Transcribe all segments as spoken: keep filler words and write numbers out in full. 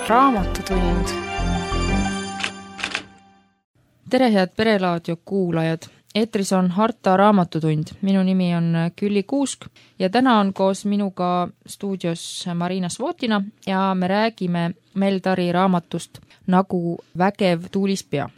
Raamatutund. Tere, head Perelaadio kuulajad! Eetris on Harta Raamatutund. Minu nimi on Külli Kuusk ja täna on koos minuga stuudios Marina Svotina ja me räägime Meldari raamatust Nagu vägev tuulispea.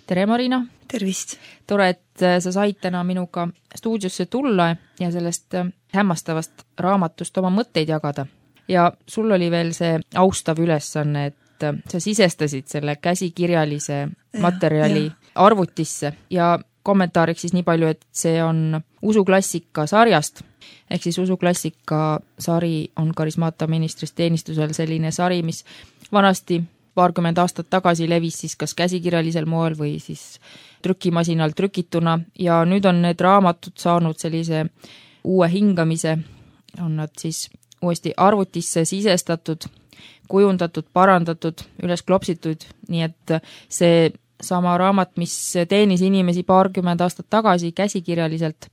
Tere, Marina! Tervist! Tore, et sa said täna minuga stuudiosse tulla ja sellest hämmastavast raamatust oma mõtteid jagada. Ja sul oli veel see austav ülesanne, et sa sisestasid selle käsikirjalise materjali ja, ja. arvutisse ja kommentaariks siis nii palju, et see on usuklassika sarjast, ehk siis usuklassika sari on Karismaata ministrist teenistusel selline sari, mis vanasti paarkümmend aastat tagasi levis siis kas käsikirjalisel moel või siis trükimasinal trükituna ja nüüd on need raamatud saanud sellise uue hingamise, on nad siis uuesti arvutisse sisestatud, kujundatud, parandatud, üles klopsitud, nii et see sama raamat, mis teenis inimesi paarkümmend aastat tagasi käsikirjaliselt,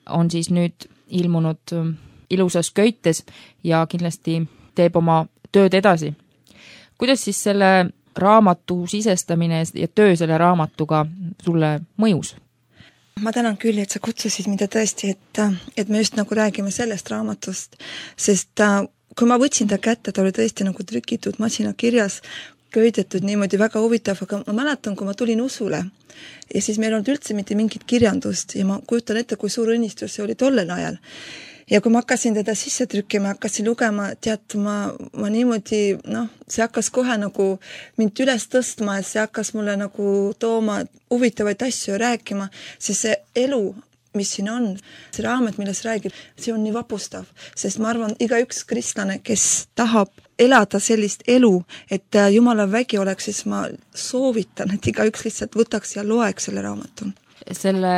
on siis nüüd ilmunud ilusas köites ja kindlasti teeb oma tööd edasi. Kuidas siis selle raamatu sisestamine ja töö selle raamatuga sulle mõjus? Ma tänan küll, et sa kutsusid mida tõesti, et, et me just nagu räägime sellest raamatust, sest kui ma võtsin ta kätte, ta oli tõesti nagu trükitud masina kirjas, köidetud niimoodi väga huvitav, aga ma mäletan, kui ma tulin usule ja siis meil on üldse mitte mingit kirjandust ja ma kujutan ette, kui suur õnnistus see oli tollel ajal. Ja kui ma hakkasin teda sisse trükkima, hakkasin lugema, tead, ma, ma niimoodi, noh, see hakkas kohe nagu mind üles tõstma ja see hakkas mulle nagu tooma huvitavaid asju ja rääkima, sest see elu, mis siin on, see raamat, milles räägib, see on nii vapustav, sest ma arvan, igaüks kristlane, kes tahab elada sellist elu, et Jumala vägi oleks, siis ma soovitan, et igaüks lihtsalt võtaks ja loeks selle raamatu. Selle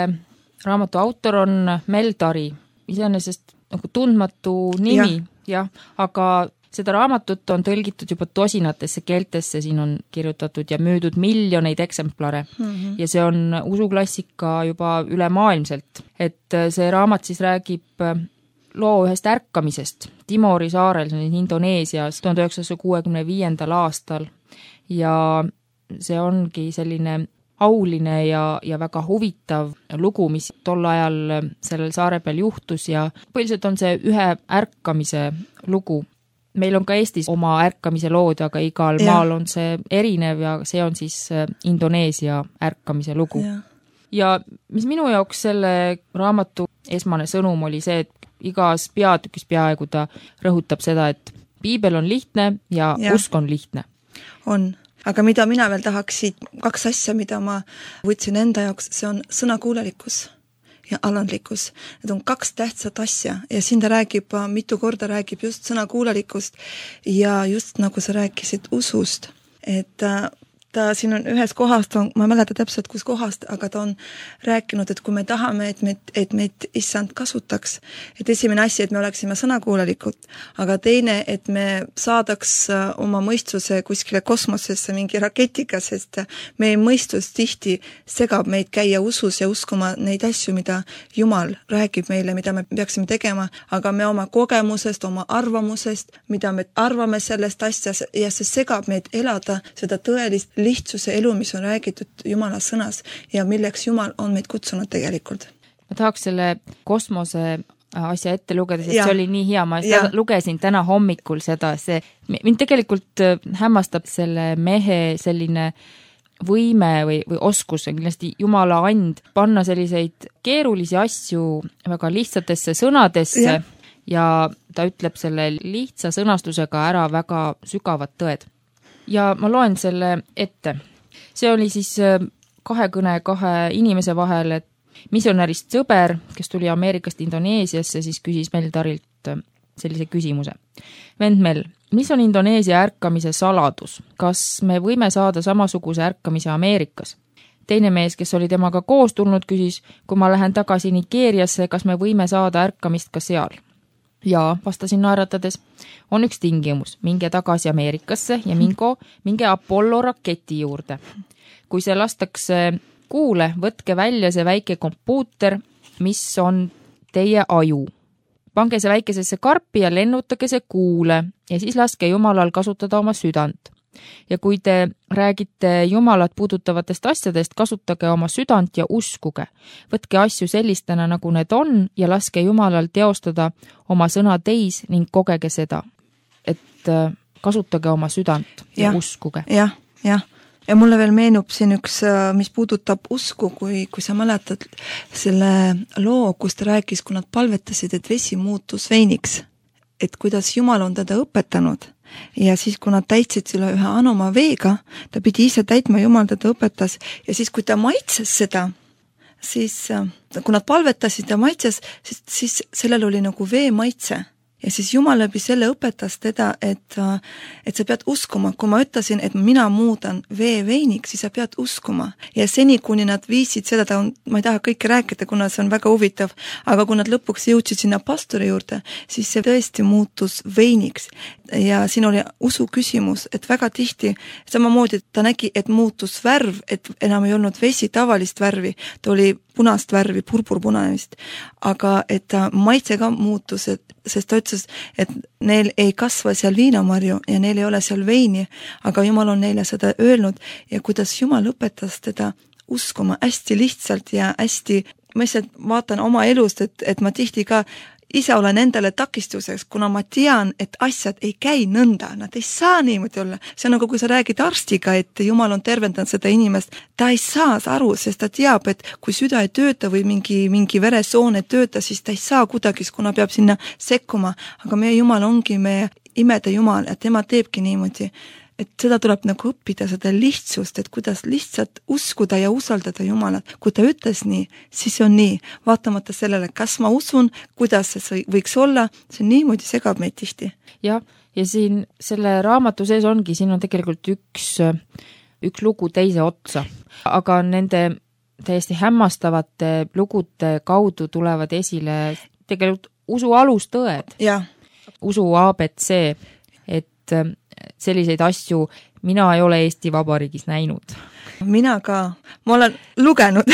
raamatu autor on Meldari, iseenesest nagu tundmatu nimi, jah, aga seda raamatut on tõlgitud juba tosinatesse keeltesse, siin on kirjutatud ja müüdud miljoneid eksemplare mm -hmm. ja see on usuklassika juba ülemaailmselt. Et see raamat siis räägib loo ühest ärkamisest Timori saarel, see on Indoneesias tuhande üheksasaja kuuekümne viiendal aastal ja see ongi selline auline ja, ja väga huvitav lugu, mis tol ajal sellel saare peal juhtus ja põhiliselt on see ühe ärkamise lugu. Meil on ka Eestis oma ärkamise lood, aga igal ja. maal on see erinev ja see on siis Indoneesia ärkamise lugu. Ja. ja mis minu jaoks selle raamatu esmane sõnum oli see, et igas peatükis peaaegu ta rõhutab seda, et piibel on lihtne ja, ja. usk on lihtne. On. Aga mida mina veel tahaksin, kaks asja, mida ma võtsin enda jaoks, see on sõnakuulelikkus ja alandlikkus. Need on kaks tähtsat asja ja siin ta räägib, mitu korda räägib just sõnakuulelikkust ja just nagu sa rääkisid usust, et ta siin on ühes kohast, ma ei mäleta täpselt kus kohast, aga ta on rääkinud, et kui me tahame, et meid, et meid issand kasutaks, et esimene asi, et me oleksime sõnakuulelikud, aga teine, et me saadaks oma mõistuse kuskile kosmosesse mingi raketiga, sest meie mõistus tihti segab meid käia usus ja uskuma neid asju, mida Jumal räägib meile, mida me peaksime tegema, aga me oma kogemusest, oma arvamusest, mida me arvame sellest asjas ja see segab meid elada seda tõelist lihtsuse elu, mis on räägitud Jumala sõnas ja milleks Jumal on meid kutsunud tegelikult. Ma tahaks selle kosmose asja ette lugeda, sest ja. see oli nii hea, ma ja. lugesin täna hommikul seda, see mind tegelikult hämmastab selle mehe selline võime või, või oskus, kindlasti Jumala and panna selliseid keerulisi asju väga lihtsatesse sõnadesse ja, ja ta ütleb selle lihtsa sõnastusega ära väga sügavad tõed. Ja ma loen selle ette. See oli siis kahekõne kahe inimese vahel, et missionärist sõber, kes tuli Ameerikast Indoneesiasse, siis küsis Meldarilt sellise küsimuse. Vend Mel, mis on Indoneesia ärkamise saladus? Kas me võime saada samasuguse ärkamise Ameerikas? Teine mees, kes oli temaga koos tulnud, küsis, kui ma lähen tagasi Nigeeriasse, kas me võime saada ärkamist ka seal? Ja vastasin naeratades, on üks tingimus, minge tagasi Ameerikasse ja mingo, minge Apollo raketi juurde. Kui see lastakse kuule, võtke välja see väike kompuuter, mis on teie aju. Pange see väikesesse karpi ja lennutage see kuule ja siis laske Jumalal kasutada oma südant. ja kui te räägite Jumalat puudutavatest asjadest, kasutage oma südant ja uskuge. Võtke asju sellistena, nagu need on ja laske Jumalal teostada oma sõna teis ning kogege seda. Et kasutage oma südant ja, ja uskuge. Jah, jah. Ja mulle veel meenub siin üks, mis puudutab usku, kui, kui sa mäletad selle loo, kus ta rääkis, kui nad palvetasid, et vesi muutus veiniks. Et kuidas Jumal on teda õpetanud. Ja siis, kui nad täitsid selle ühe anoma veega, ta pidi ise täitma, Jumal teda õpetas, ja siis, kui ta maitses seda, siis kui nad palvetasid ja maitses, siis, siis sellel oli nagu vee maitse. Ja siis Jumal läbi selle õpetas teda, et, et sa pead uskuma. Kui ma ütlesin, et mina muudan vee veiniks, siis sa pead uskuma. Ja seni, kuni nad viisid seda, ta on, ma ei taha kõike rääkida, kuna see on väga huvitav, aga kui nad lõpuks jõudsid sinna pastori juurde, siis see tõesti muutus veiniks. Ja siin oli usu küsimus, et väga tihti, samamoodi ta nägi, et muutus värv, et enam ei olnud vesi tavalist värvi, ta oli punast värvi, purpurpunanist, aga et ta maitse ka muutus, et, sest ta ütles, et neil ei kasva seal viinamarju ja neil ei ole seal veini, aga Jumal on neile seda öelnud ja kuidas Jumal õpetas teda uskuma hästi lihtsalt ja hästi, ma lihtsalt vaatan oma elust, et, et ma tihti ka ise olen endale takistuseks, kuna ma tean, et asjad ei käi nõnda, nad ei saa niimoodi olla. See on nagu, kui sa räägid arstiga, et Jumal on tervendanud seda inimest, ta ei saa aru, sest ta teab, et kui süda ei tööta või mingi, mingi veresoon ei tööta, siis ta ei saa kuidagi, kuna peab sinna sekkuma. Aga meie Jumal ongi meie imede Jumal ja tema teebki niimoodi. Et seda tuleb nagu õppida, seda lihtsust, et kuidas lihtsalt uskuda ja usaldada Jumalat. Kui ta ütles nii, siis on nii. Vaatamata sellele, kas ma usun, kuidas see võiks olla, see niimoodi segab meid tihti. Ja, ja siin selle raamatu sees ongi, siin on tegelikult üks, üks lugu teise otsa. Aga nende täiesti hämmastavate lugude kaudu tulevad esile tegelikult usu alustõed. Ja. Usu A B C, et selliseid asju mina ei ole Eesti Vabariigis näinud. Mina ka. Ma olen lugenud,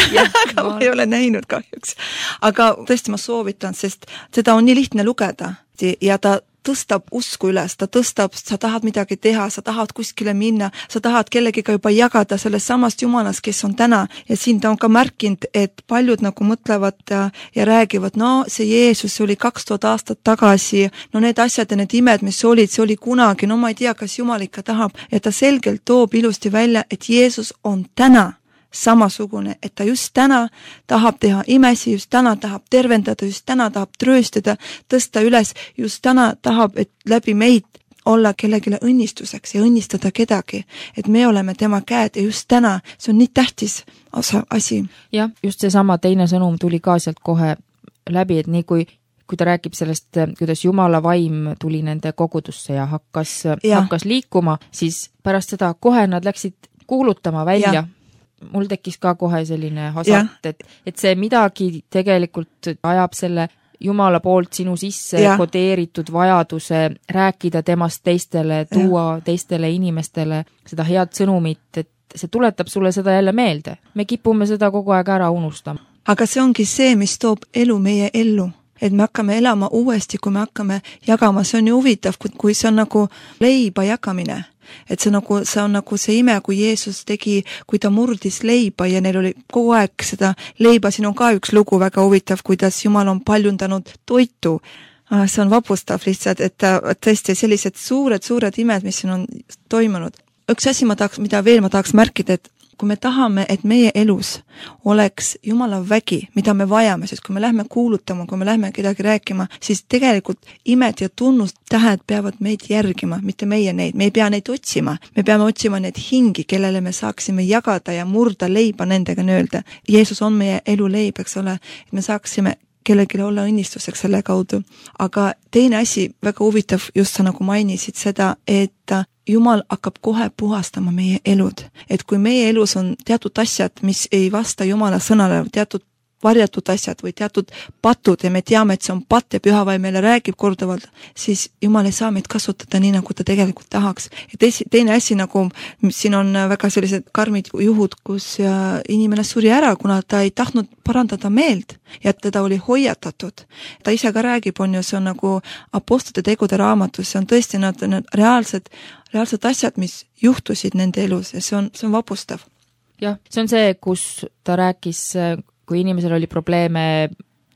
aga ma ei ole näinud kahjuks. Aga tõesti ma soovitan, sest seda on nii lihtne lugeda ja ta tõstab usku üles, ta tõstab, sa tahad midagi teha, sa tahad kuskile minna, sa tahad kellegiga juba jagada sellest samast Jumalast, kes on täna. Ja siin ta on ka märkinud, et paljud nagu mõtlevad ja, ja räägivad, no see Jeesus oli kaks tuhat aastat tagasi, no need asjad ja need imed, mis olid, see oli kunagi, no ma ei tea, kas Jumal ikka tahab. Ja ta selgelt toob ilusti välja, et Jeesus on täna samasugune, et ta just täna tahab teha imesi, just täna tahab tervendada, just täna tahab trööstada, tõsta üles, just täna tahab, et läbi meid olla kellegile õnnistuseks ja õnnistada kedagi, et me oleme tema käed ja just täna, see on nii tähtis osa asi. Jah, just see sama teine sõnum tuli ka sealt kohe läbi, et nii kui kui ta räägib sellest, kuidas Jumala vaim tuli nende kogudusse ja hakkas, ja. hakkas liikuma, siis pärast seda kohe nad läksid kuulutama välja. Ja. Mul tekkis ka kohe selline hasart, et, et see midagi tegelikult ajab selle Jumala poolt sinu sisse ja. kodeeritud vajaduse rääkida temast teistele, tuua ja. teistele inimestele seda head sõnumit, et see tuletab sulle seda jälle meelde. Me kipume seda kogu aeg ära unustama. Aga see ongi see, mis toob elu meie ellu. Et me hakkame elama uuesti, kui me hakkame jagama. See on ju huvitav, kui see on nagu leiba jagamine. Et see, nagu, see on nagu see ime, kui Jeesus tegi, kui ta murdis leiba ja neil oli kogu aeg seda leiba. Siin on ka üks lugu väga huvitav, kuidas Jumal on paljundanud toitu. See on vapustav lihtsalt, et tõesti sellised suured, suured imed, mis siin on toimunud. Üks asi, ma tahaks, mida veel ma tahaks märkida, et kui me tahame, et meie elus oleks Jumala vägi, mida me vajame, sest kui me lähme kuulutama, kui me lähme kedagi rääkima, siis tegelikult imed ja tunnustähed peavad meid järgima, mitte meie neid. Me ei pea neid otsima. Me peame otsima neid hingi, kellele me saaksime jagada ja murda leiba nendega nöölda. Jeesus on meie elu leib, eks ole, et me saaksime kellegile olla õnnistuseks selle kaudu. Aga teine asi, väga huvitav, just sa nagu mainisid seda, et Jumal hakkab kohe puhastama meie elud. Et kui meie elus on teatud asjad, mis ei vasta Jumala sõnale, teatud varjatud asjad või teatud patud ja me teame, et see on patt ja pühavaim meile räägib korduvalt, siis Jumal ei saa meid kasutada nii, nagu ta tegelikult tahaks. Ja teisi, teine asi, nagu siin on väga sellised karmid juhud, kus inimene suri ära, kuna ta ei tahtnud parandada meelt ja teda oli hoiatatud. Ta ise ka räägib, on ju, see on nagu apostlite tegude raamatus, see on tõesti nad, nad reaalsed reaalselt asjad, mis juhtusid nende elus ja see on, see on vapustav. Jah, see on see, kus ta rääkis, kui inimesel oli probleeme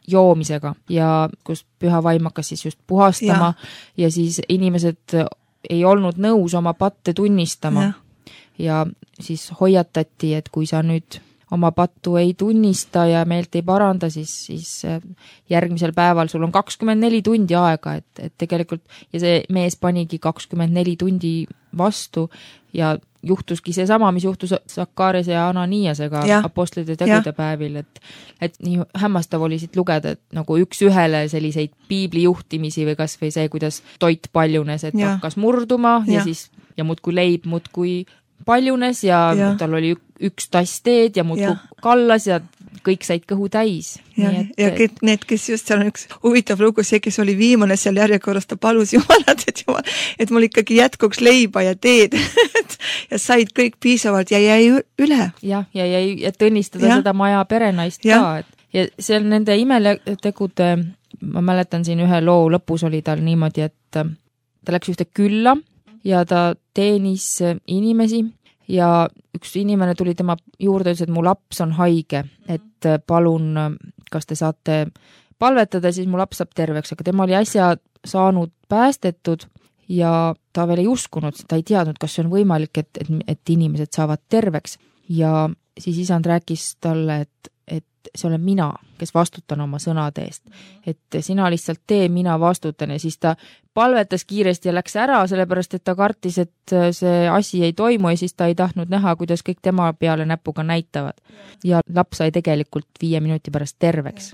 joomisega ja kus püha vaim hakkas siis just puhastama ja, ja siis inimesed ei olnud nõus oma patte tunnistama ja. ja siis hoiatati, et kui sa nüüd oma pattu ei tunnista ja meelt ei paranda, siis, siis järgmisel päeval sul on kakskümmend neli tundi aega, et, et tegelikult ja see mees panigi kakskümmend neli tundi vastu ja juhtuski see sama, mis juhtus Sakkaariase ja Ananiasega ja. apostlite tegude ja. päevil, et, et nii hämmastav oli siit lugeda, et nagu üks ühele selliseid piibli juhtimisi või kas või see, kuidas toit paljunes, et ja. hakkas murduma ja, ja siis ja muudkui leib muudkui paljunes ja, ja. tal oli üks tass teed ja muudkui kallas ja kõik said kõhu täis. Ja, et, ja et, need, kes just seal on üks huvitav lugu, see, kes oli viimane seal järjekorras, ta palus Jumalat, et, jumal, et mul ikkagi jätkuks leiba ja teed ja said kõik piisavalt ja jäi üle. Jah, ja jäi, et õnnistada ja. seda maja perenaist ja. ka. Et, ja seal nende imetegude, ma mäletan siin ühe loo lõpus oli tal niimoodi, et ta läks ühte külla ja ta teenis inimesi ja üks inimene tuli tema juurde ja ütles, et mu laps on haige, et palun, kas te saate palvetada, siis mu laps saab terveks, aga tema oli äsja saanud päästetud ja ta veel ei uskunud, ta ei teadnud, kas see on võimalik, et, et, et inimesed saavad terveks ja siis isand rääkis talle, et et see olen mina, kes vastutan oma sõnade eest. Et sina lihtsalt tee, mina vastutan ja siis ta palvetas kiiresti ja läks ära, sellepärast et ta kartis, et see asi ei toimu ja siis ta ei tahtnud näha, kuidas kõik tema peale näpuga näitavad. Ja laps sai tegelikult viie minuti pärast terveks.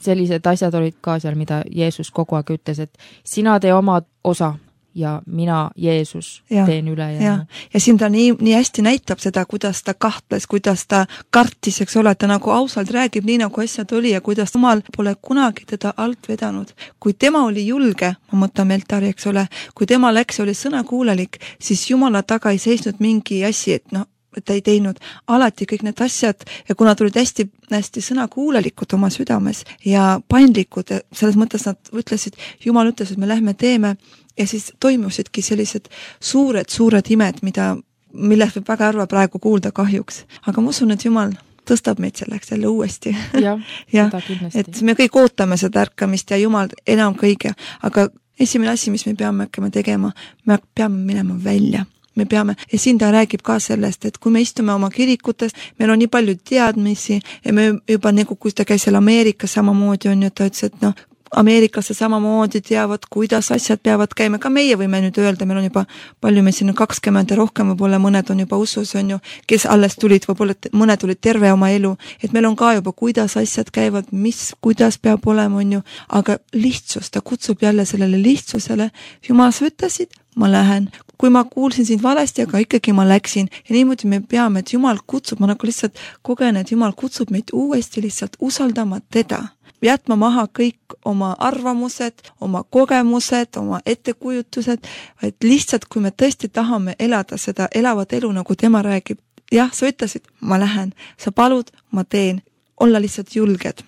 Sellised asjad olid ka seal, mida Jeesus kogu aeg ütles, et sina tee oma osa ja mina, Jeesus, ja, teen üle. Ja, ja. ja siin ta nii, nii hästi näitab seda, kuidas ta kahtles, kuidas ta kartis, eks ole, ta nagu ausalt räägib nii, nagu asjad oli ja kuidas Jumal pole kunagi teda alt vedanud. Kui tema oli julge, ma mõtlen Meltari, eks ole, kui tema läks ja oli sõnakuulelik, siis Jumala taga ei seisnud mingi asi, et noh, et ta ei teinud alati kõik need asjad ja kuna tulid hästi, hästi sõnakuulelikud oma südames ja paindlikud, selles mõttes nad ütlesid, Jumal ütles, et me lähme teeme ja siis toimusidki sellised suured, suured imed, mida, millest võib väga harva praegu kuulda kahjuks. Aga ma usun, et Jumal tõstab meid selleks jälle uuesti. Ja, ja, et me kõik ootame seda ärkamist ja Jumal enam kõige, aga esimene asi, mis me peame hakkama tegema, me peame minema välja. Me peame, ja siin ta räägib ka sellest, et kui me istume oma kirikutes, meil on nii palju teadmisi ja me juba nagu, kui ta käis seal Ameerikas samamoodi on ju, ta ütles, et noh, Ameerikasse samamoodi teavad, kuidas asjad peavad käima, ka meie võime nüüd öelda, meil on juba palju, me siin on kakskümmend ja rohkem, võib-olla mõned on juba usus, on ju, kes alles tulid, võib-olla mõned tulid terve oma elu, et meil on ka juba, kuidas asjad käivad, mis, kuidas peab olema, on ju, aga lihtsus, ta kutsub jälle sellele lihtsusele, Jumal, sa ütlesid, ma lähen, kui ma kuulsin sind valesti, aga ikkagi ma läksin ja niimoodi me peame, et Jumal kutsub, ma nagu lihtsalt kogen, et Jumal kutsub meid uuesti lihtsalt usaldama teda. Jätma maha kõik oma arvamused, oma kogemused, oma ettekujutused, vaid lihtsalt, kui me tõesti tahame elada seda elavat elu, nagu tema räägib, jah, sa ütlesid, ma lähen, sa palud, ma teen, olla lihtsalt julged.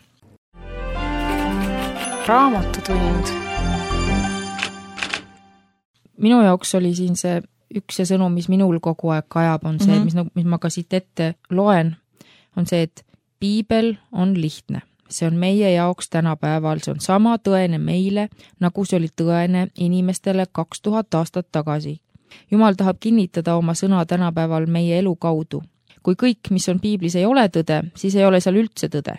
Raamatutund. Minu jaoks oli siin see üks see sõnum, mis minul kogu aeg kajab, on see, mm-hmm. mis, mis ma ka siit ette loen, on see, et piibel on lihtne. See on meie jaoks tänapäeval, see on sama tõene meile, nagu see oli tõene inimestele kaks tuhat aastat tagasi. Jumal tahab kinnitada oma sõna tänapäeval meie elu kaudu. Kui kõik, mis on piiblis, ei ole tõde, siis ei ole seal üldse tõde.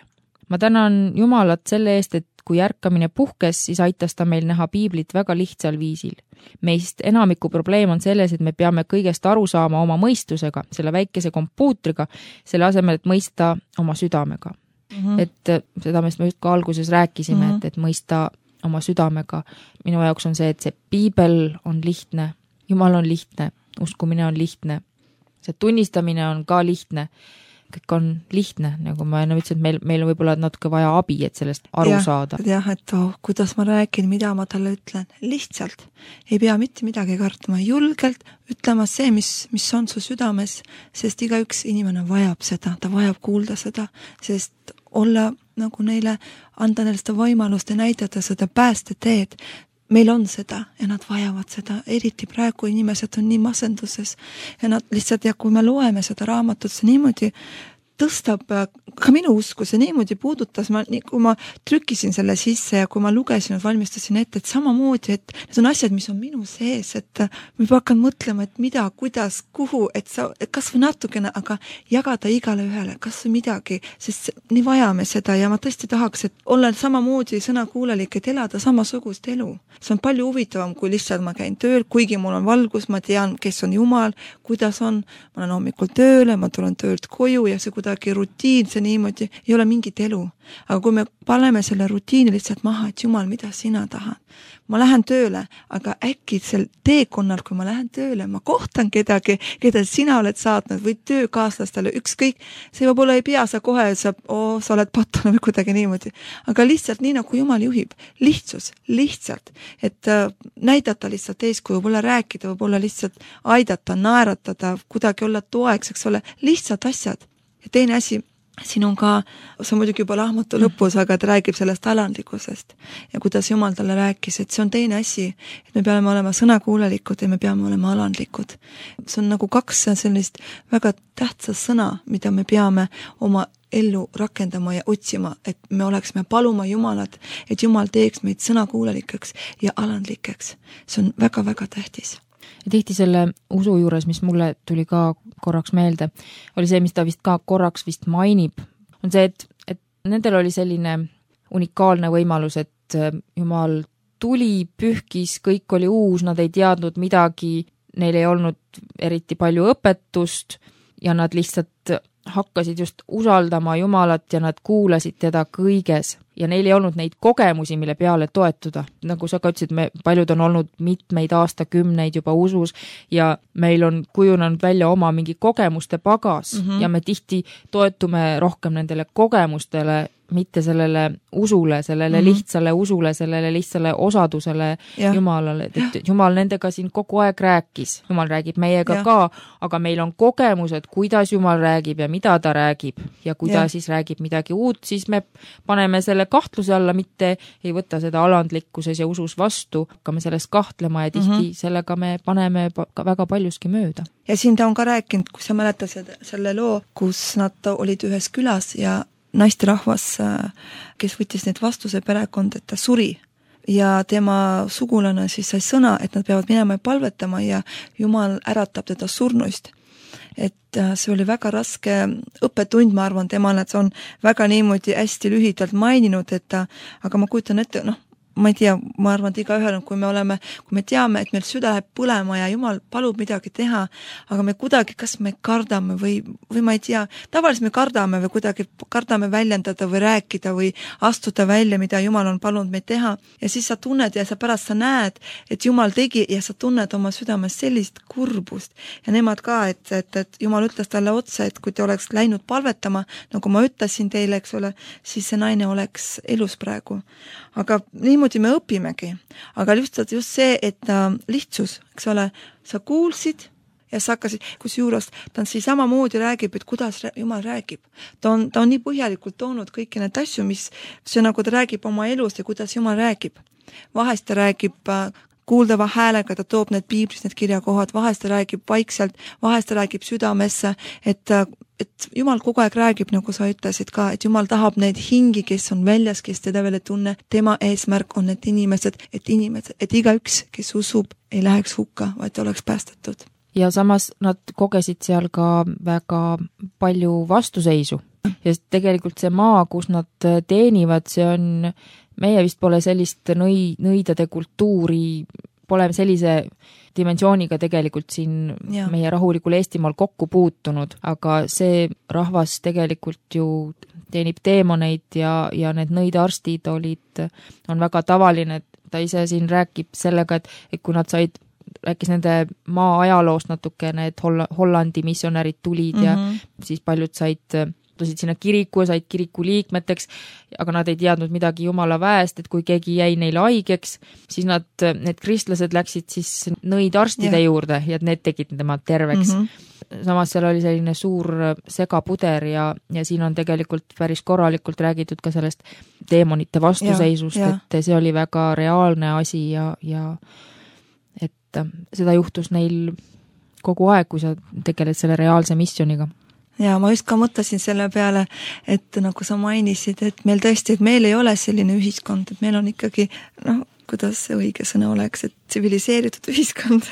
Ma tänan Jumalat selle eest, et kui ärkamine puhkes, siis aitas ta meil näha piiblit väga lihtsal viisil. Meist enamiku probleem on selles, et me peame kõigest aru saama oma mõistusega, selle väikese kompuutriga, selle asemel, et mõista oma südamega. Mm-hmm. Et seda me just ka alguses rääkisime, mm-hmm. et, et mõista oma südamega. Minu jaoks on see, et see piibel on lihtne, Jumal on lihtne, uskumine on lihtne, see tunnistamine on ka lihtne, kõik on lihtne, nagu ma enne ütlesin, et meil, meil on võib-olla natuke vaja abi, et sellest aru ja, saada. Jah, et oh, kuidas ma räägin, mida ma talle ütlen, lihtsalt ei pea mitte midagi kartma, julgelt ütlema see, mis, mis on su südames, sest igaüks inimene vajab seda, ta vajab kuulda seda, sest olla nagu neile, anda neile seda võimalust ja näidata seda päästeteed. meil on seda ja nad vajavad seda, eriti praegu inimesed on nii masenduses ja nad lihtsalt, ja kui me loeme seda raamatut, see niimoodi tõstab ka minu usku, see niimoodi puudutas, ma, kui ma trükkisin selle sisse ja kui ma lugesin, valmistasin ette, et samamoodi, et need on asjad, mis on minu sees, et ma hakkan mõtlema, et mida, kuidas, kuhu, et sa, et kas või natukene, aga jagada igale ühele, kas või midagi, sest nii vajame seda ja ma tõesti tahaks, et olla samamoodi sõnakuulelik, et elada samasugust elu. See on palju huvitavam, kui lihtsalt ma käin tööl, kuigi mul on valgus, ma tean, kes on Jumal, kuidas on, ma olen hommikul tööle, ma tulen töölt koju ja see kuidagi rutiinse niimoodi, ei ole mingit elu. Aga kui me paneme selle rutiini lihtsalt maha, et Jumal, mida sina tahad? Ma lähen tööle, aga äkki sel teekonnal, kui ma lähen tööle, ma kohtan kedagi, keda sina oled saatnud või töökaaslastele, ükskõik, see võib-olla ei pea sa kohe, sa, oo, sa oled pattunud või kuidagi niimoodi. Aga lihtsalt nii, nagu Jumal juhib. Lihtsus, lihtsalt. Et äh, näidata lihtsalt eeskuju, võib-olla rääkida, võib-olla lihtsalt aidata, naeratada, kuidagi olla toeks, eks ole, lihtsalt asjad. Ja teine asi, siin on ka, see on muidugi juba lahmatu lõpus, aga ta räägib sellest alandlikkusest ja kuidas Jumal talle rääkis, et see on teine asi, et me peame olema sõnakuulelikud ja me peame olema alandlikud. See on nagu kaks sellist väga tähtsat sõna, mida me peame oma ellu rakendama ja otsima, et me oleksime paluma Jumalat, et Jumal teeks meid sõnakuulelikeks ja alandlikeks. See on väga-väga tähtis. Ja tihti selle usu juures, mis mulle tuli ka korraks meelde, oli see, mis ta vist ka korraks vist mainib, on see, et, et nendel oli selline unikaalne võimalus, et Jumal tuli, pühkis, kõik oli uus, nad ei teadnud midagi, neil ei olnud eriti palju õpetust ja nad lihtsalt hakkasid just usaldama Jumalat ja nad kuulasid teda kõiges ja neil ei olnud neid kogemusi, mille peale toetuda. Nagu sa ka ütlesid, me paljud on olnud mitmeid aastakümneid juba usus ja meil on kujunenud välja oma mingi kogemuste pagas mm-hmm. ja me tihti toetume rohkem nendele kogemustele, mitte sellele usule, sellele mm-hmm. lihtsale usule, sellele lihtsale osadusele ja. Jumalale. Et Jumal nendega siin kogu aeg rääkis. Jumal räägib meiega ja. Ka, aga meil on kogemused, kuidas Jumal räägib ja mida ta räägib ja kui ta ja. Siis räägib midagi uut, siis me paneme selle kahtluse alla, mitte ei võta seda alandlikkuses ja usus vastu, hakkame sellest kahtlema ja tihti mm-hmm. sellega me paneme väga paljuski mööda. Ja siin ta on ka rääkinud, kui sa mäletasid selle loo, kus nad olid ühes külas ja naisterahvas, kes võttis need vastuse perekond, et ta suri ja tema sugulane siis sai sõna, et nad peavad minema ja palvetama ja Jumal äratab teda surnuist. Et see oli väga raske õppetund, ma arvan, temale, et see on väga niimoodi hästi lühidalt maininud, et ta, aga ma kujutan ette, noh, ma ei tea, ma arvan, et iga ühel, kui me oleme, kui me teame, et meil süda läheb põlema ja Jumal palub midagi teha, aga me kuidagi, kas me kardame või, või ma ei tea, tavaliselt me kardame või kuidagi kardame väljendada või rääkida või astuda välja, mida Jumal on palunud meid teha ja siis sa tunned ja sa pärast sa näed, et Jumal tegi ja sa tunned oma südames sellist kurbust ja nemad ka, et, et, et Jumal ütles talle otsa, et kui te oleks läinud palvetama, nagu ma ütlesin teile, eks ole, siis see naine oleks elus praegu. Aga niimoodi me õpimegi, aga just, just see, et äh, lihtsus, eks ole, sa kuulsid ja sa hakkasid, kus juures ta on siis samamoodi räägib, et kuidas Jumal räägib. Ta on, ta on nii põhjalikult toonud kõiki need asju, mis see nagu ta räägib oma elust ja kuidas Jumal räägib. Vahest ta räägib äh, kuuldava häälega, ta toob need piiblis, need kirjakohad, vahest ta räägib vaikselt, vahest ta räägib südamesse, et äh, et Jumal kogu aeg räägib, nagu sa ütlesid ka, et Jumal tahab neid hingi, kes on väljas, kes teda veel ei tunne, tema eesmärk on need inimesed, et inimesed, et igaüks, kes usub, ei läheks hukka, vaid oleks päästetud. Ja samas nad kogesid seal ka väga palju vastuseisu. Ja tegelikult see maa, kus nad teenivad, see on, meie vist pole sellist nõi, nõidade kultuuri, pole sellise dimensiooniga tegelikult siin ja. Meie rahulikul Eestimaal kokku puutunud, aga see rahvas tegelikult ju teenib teemoneid ja, ja need nõidearstid olid, on väga tavaline, et ta ise siin räägib sellega, et, et kui nad said, rääkis nende maa ajaloost natukene, et Holl- Hollandi missionärid tulid mm-hmm. ja siis paljud said tulid sinna kiriku ja said kiriku liikmeteks, aga nad ei teadnud midagi Jumala väest, et kui keegi jäi neile haigeks, siis nad, need kristlased läksid siis nõid arstide ja. juurde ja need tegid tema terveks. Mm-hmm. Samas seal oli selline suur segapuder ja, ja siin on tegelikult päris korralikult räägitud ka sellest deemonite vastuseisust, ja, ja. et see oli väga reaalne asi ja, ja et seda juhtus neil kogu aeg, kui sa tegeled selle reaalse missiooniga. Ja ma just ka mõtlesin selle peale, et nagu sa mainisid, et meil tõesti, et meil ei ole selline ühiskond, et meil on ikkagi, noh, kuidas see õige sõna oleks, et tsiviliseeritud ühiskond,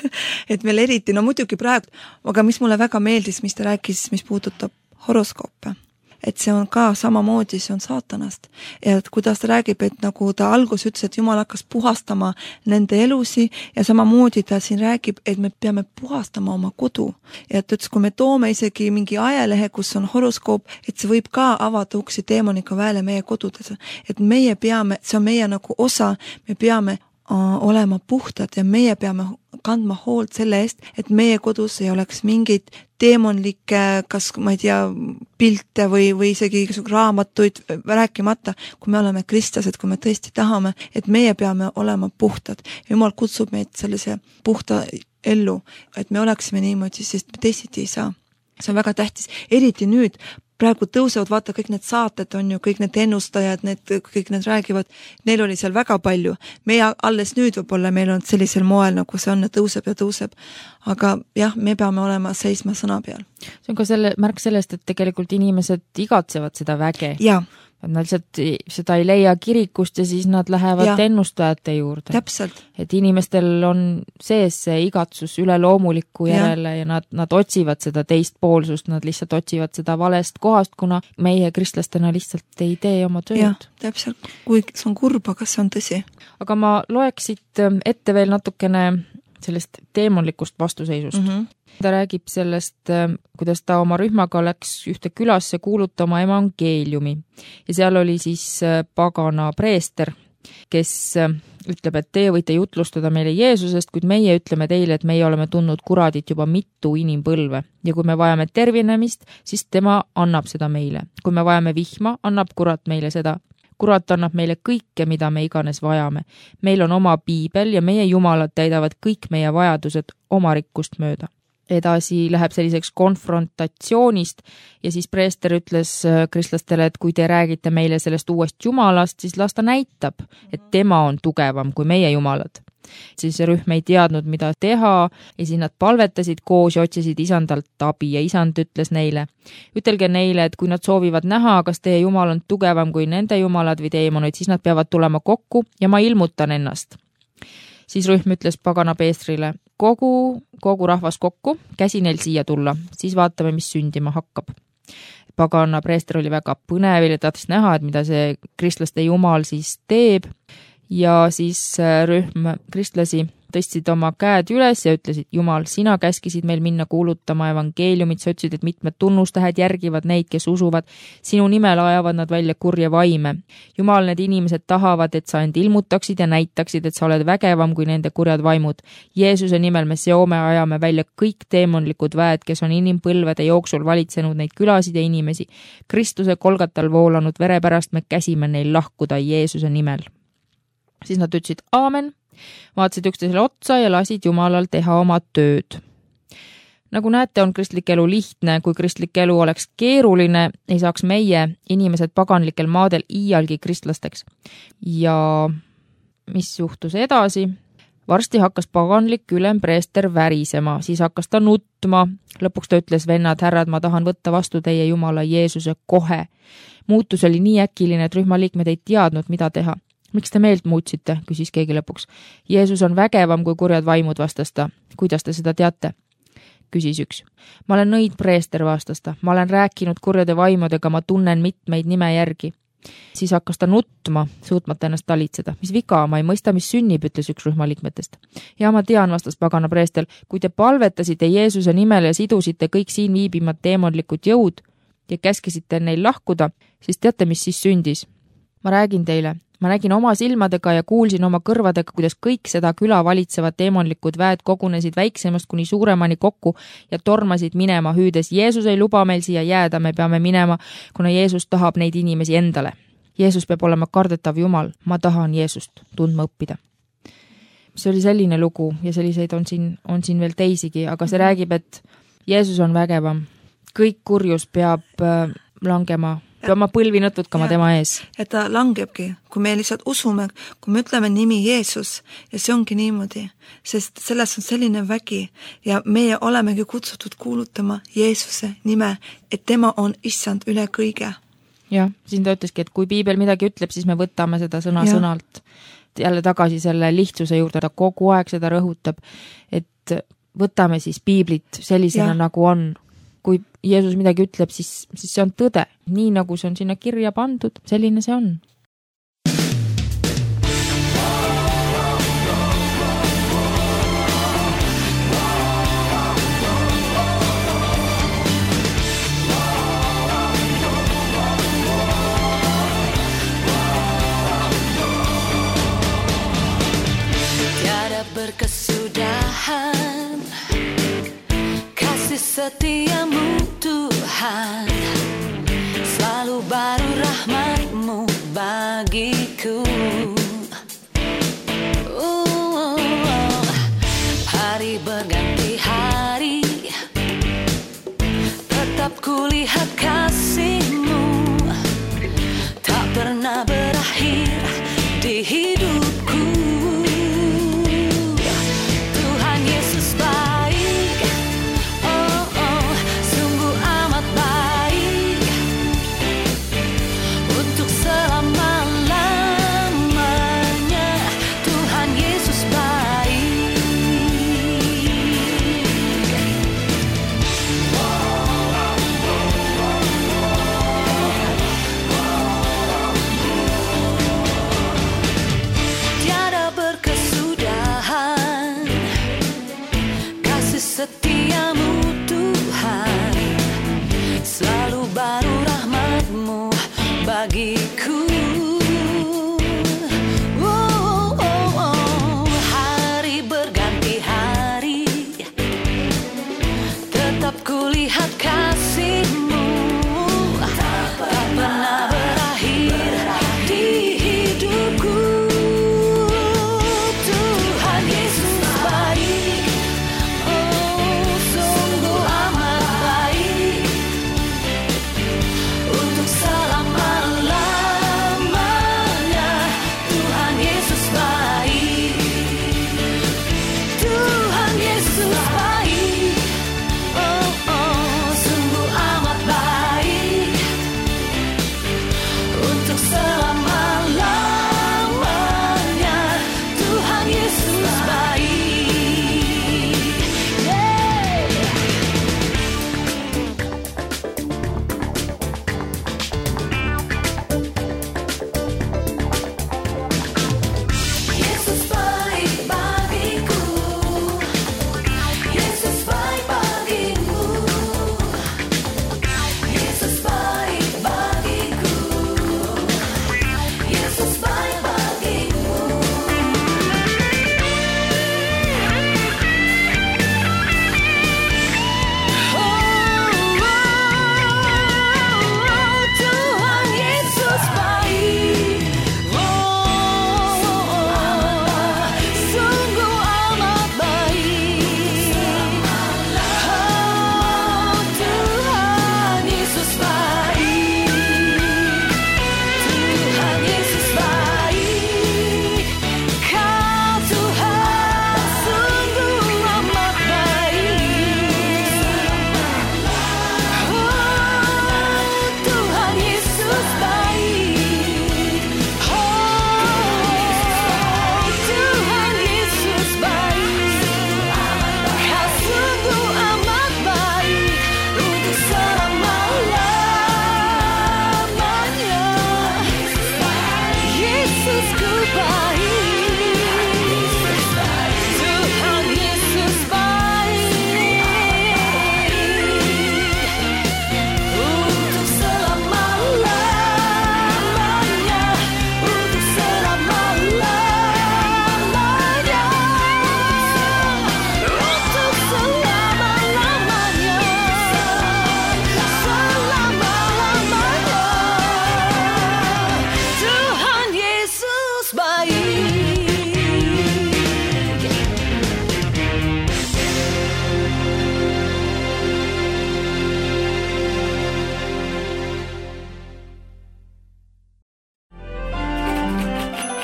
et meil eriti, no muidugi praegu, aga mis mulle väga meeldis, mis ta rääkis, mis puudutab horoskoope, et see on ka samamoodi, see on saatanast. Ja et kuidas ta räägib, et nagu ta algus ütles, et Jumal hakkas puhastama nende elusi ja samamoodi ta siin räägib, et me peame puhastama oma kodu. Ja et ütles, kui me toome isegi mingi ajalehe, kus on horoskoop, et see võib ka avada uksi deemoniga väele meie kodudes. Et meie peame, see on meie nagu osa, me peame olema puhtad ja meie peame kandma hoolt selle eest, et meie kodus ei oleks mingid deemonlikke, kas ma ei tea, pilte või, või isegi raamatuid rääkimata, kui me oleme kristlased, kui me tõesti tahame, et meie peame olema puhtad. Jumal kutsub meid sellise puhta ellu, et me oleksime niimoodi, sest me teisiti ei saa. See on väga tähtis, eriti nüüd, praegu tõusevad, vaata, kõik need saated on ju, kõik need ennustajad, need, kõik need räägivad, neil oli seal väga palju. Meie alles nüüd võib-olla meil on sellisel moel, nagu see on, tõuseb ja tõuseb. Aga jah, me peame olema seisma sõna peal. See on ka selle, märk sellest, et tegelikult inimesed igatsevad seda väge. Jaa. Nad lihtsalt seda ei leia kirikust ja siis nad lähevad ja. ennustajate juurde. Täpselt. Et inimestel on sees see igatsus üle loomuliku järele ja, ja nad, nad otsivad seda teist poolsust, nad lihtsalt otsivad seda valest kohast, kuna meie kristlastena lihtsalt ei tee oma tööd. Jah, täpselt. Kui see on kurb, aga see on tõsi. Aga ma loeksid ette veel natukene sellest deemonlikust vastuseisust. Mm-hmm. Ta räägib sellest, kuidas ta oma rühmaga läks ühte külasse kuulutama evangeeliumi ja seal oli siis pagana preester, kes ütleb, et teie võite jutlustada meile Jeesusest, kuid meie ütleme teile, et meie oleme tundnud kuradit juba mitu inimpõlve ja kui me vajame tervinemist, siis tema annab seda meile. Kui me vajame vihma, annab kurat meile seda. Kurat annab meile kõike, mida me iganes vajame. Meil on oma piibel ja meie jumalad täidavad kõik meie vajadused oma rikkust mööda. Edasi läheb selliseks konfrontatsioonist ja siis preester ütles kristlastele, et kui te räägite meile sellest uuest jumalast, siis las ta näitab, et tema on tugevam kui meie jumalad. Siis rühm ei teadnud, mida teha ja siis nad palvetasid koos ja otsisid isandalt abi ja isand ütles neile. Ütelge neile, et kui nad soovivad näha, kas teie jumal on tugevam kui nende jumalad või deemonid, siis nad peavad tulema kokku ja ma ilmutan ennast. Siis rühm ütles pagana Peestrile, kogu, kogu rahvas kokku, käsi neil siia tulla, siis vaatame, mis sündima hakkab. Pagana preester oli väga põnevil ja tahtis näha, et mida see kristlaste jumal siis teeb. Ja siis rühm kristlasi tõstsid oma käed üles ja ütlesid, Jumal, sina käskisid meil minna kuulutama evangeeliumit, sa ütlesid, et mitmed tunnustähed järgivad neid, kes usuvad. Sinu nimel ajavad nad välja kurje vaime. Jumal, need inimesed tahavad, et sa end ilmutaksid ja näitaksid, et sa oled vägevam kui nende kurjad vaimud. Jeesuse nimel me seome ajame välja kõik deemonlikud väed, kes on inimpõlvede jooksul valitsenud neid külasid ja inimesi. Kristuse kolgatal voolanud vere pärast me käsime neil lahkuda Jeesuse nimel. Siis nad ütlesid aamen, vaatasid üksteisele otsa ja lasid Jumalal teha oma tööd. Nagu näete, on kristlik elu lihtne, kui kristlik elu oleks keeruline, ei saaks meie inimesed paganlikel maadel iialgi kristlasteks. Ja mis juhtus edasi? Varsti hakkas paganlik ülempreester värisema, siis hakkas ta nutma. Lõpuks ta ütles, vennad, härrad, ma tahan võtta vastu teie Jumala Jeesuse kohe. Muutus oli nii äkiline, et rühmaliikmed ei teadnud, mida teha. Miks te meelt muutsite, küsis keegi lõpuks. Jeesus on vägevam kui kurjad vaimud, vastas ta. Kuidas te seda teate? Küsis üks. Ma olen nõid preester, vastas ta. Ma olen rääkinud kurjade vaimudega, ma tunnen mitmeid nime järgi. Siis hakkas ta nutma, suutmata ennast talitseda. Mis viga, ma ei mõista, mis sünnib, ütles üks rühmaliikmetest. Ja ma tean, vastas pagana preester, kui te palvetasite Jeesuse nimel ja sidusite kõik siin viibimad deemonlikud jõud ja käskisite neil lahkuda, siis teate, mis siis sündis? Ma räägin teile. ma nägin oma silmadega ja kuulsin oma kõrvadega, kuidas kõik seda küla valitsevad deemonlikud väed kogunesid väiksemast kuni suuremani kokku ja tormasid minema hüüdes. Jeesus ei luba meil siia jääda, me peame minema, kuna Jeesus tahab neid inimesi endale. Jeesus peab olema kardetav Jumal, ma tahan Jeesust tundma õppida. See oli selline lugu ja selliseid on siin, on siin veel teisigi, aga see räägib, et Jeesus on vägevam. Kõik kurjus peab äh, langema, peab ma põlvi nõtutkama tema ees. Ja ta langebki, kui me lihtsalt usume, kui me ütleme nimi Jeesus ja see ongi niimoodi, sest selles on selline vägi ja meie olemegi kutsutud kuulutama Jeesuse nime, et tema on issand üle kõige. Jah, siin ta ütleski, et kui piibel midagi ütleb, siis me võtame seda sõna ja. sõnalt. Jälle tagasi selle lihtsuse juurde, ta kogu aeg seda rõhutab, et võtame siis piiblit sellisena ja. nagu on. Kui Jeesus midagi ütleb, siis, siis see on tõde. Nii nagu see on sinna kirja pandud, selline see on. Berkesudahan kasih setiamu Tuhan, selalu baru rahmat-Mu bagiku. uh, Hari berganti hari, tetap kulihat kasih-Mu, tak pernah berakhir di hidupku. Setiamu Tuhan, selalu baru rahmat-Mu bagiku. oh, oh, oh. Hari berganti hari, tetap kulihat kasih-Mu, tak pernah berakhir di hidupku. Tuhan Yesus baik, selama-lamanya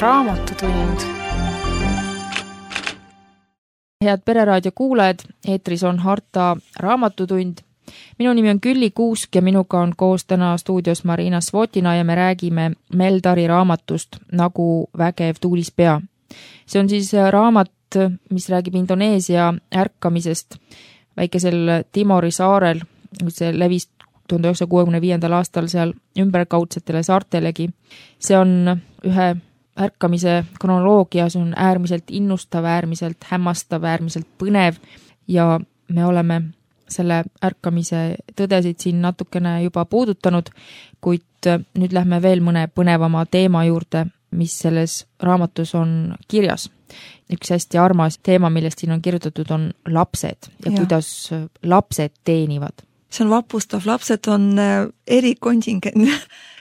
Raamatutund. Head Pereraadio kuulajad, eetris on Harta Raamatutund. Minu nimi on Külli Kuusk ja minuga on koos täna stuudios Marina Svotina ja me räägime Meldari raamatust Nagu vägev tuulispea. See on siis raamat, mis räägib Indoneesia ärkamisest väikesel Timori saarel. See levis tuhande üheksasaja kuuekümne viiendal aastal seal ümberkaudsetele saartelegi. See on ühe ärkamise kronoloogia, see on äärmiselt innustav, äärmiselt hämmastav, äärmiselt põnev ja me oleme selle ärkamise tõdesid siin natukene juba puudutanud, kuid nüüd lähme veel mõne põnevama teema juurde, mis selles raamatus on kirjas. Üks hästi armas teema, millest siin on kirjutatud, on lapsed ja, ja. kuidas lapsed teenivad. See on vapustav, lapsed on erikontingent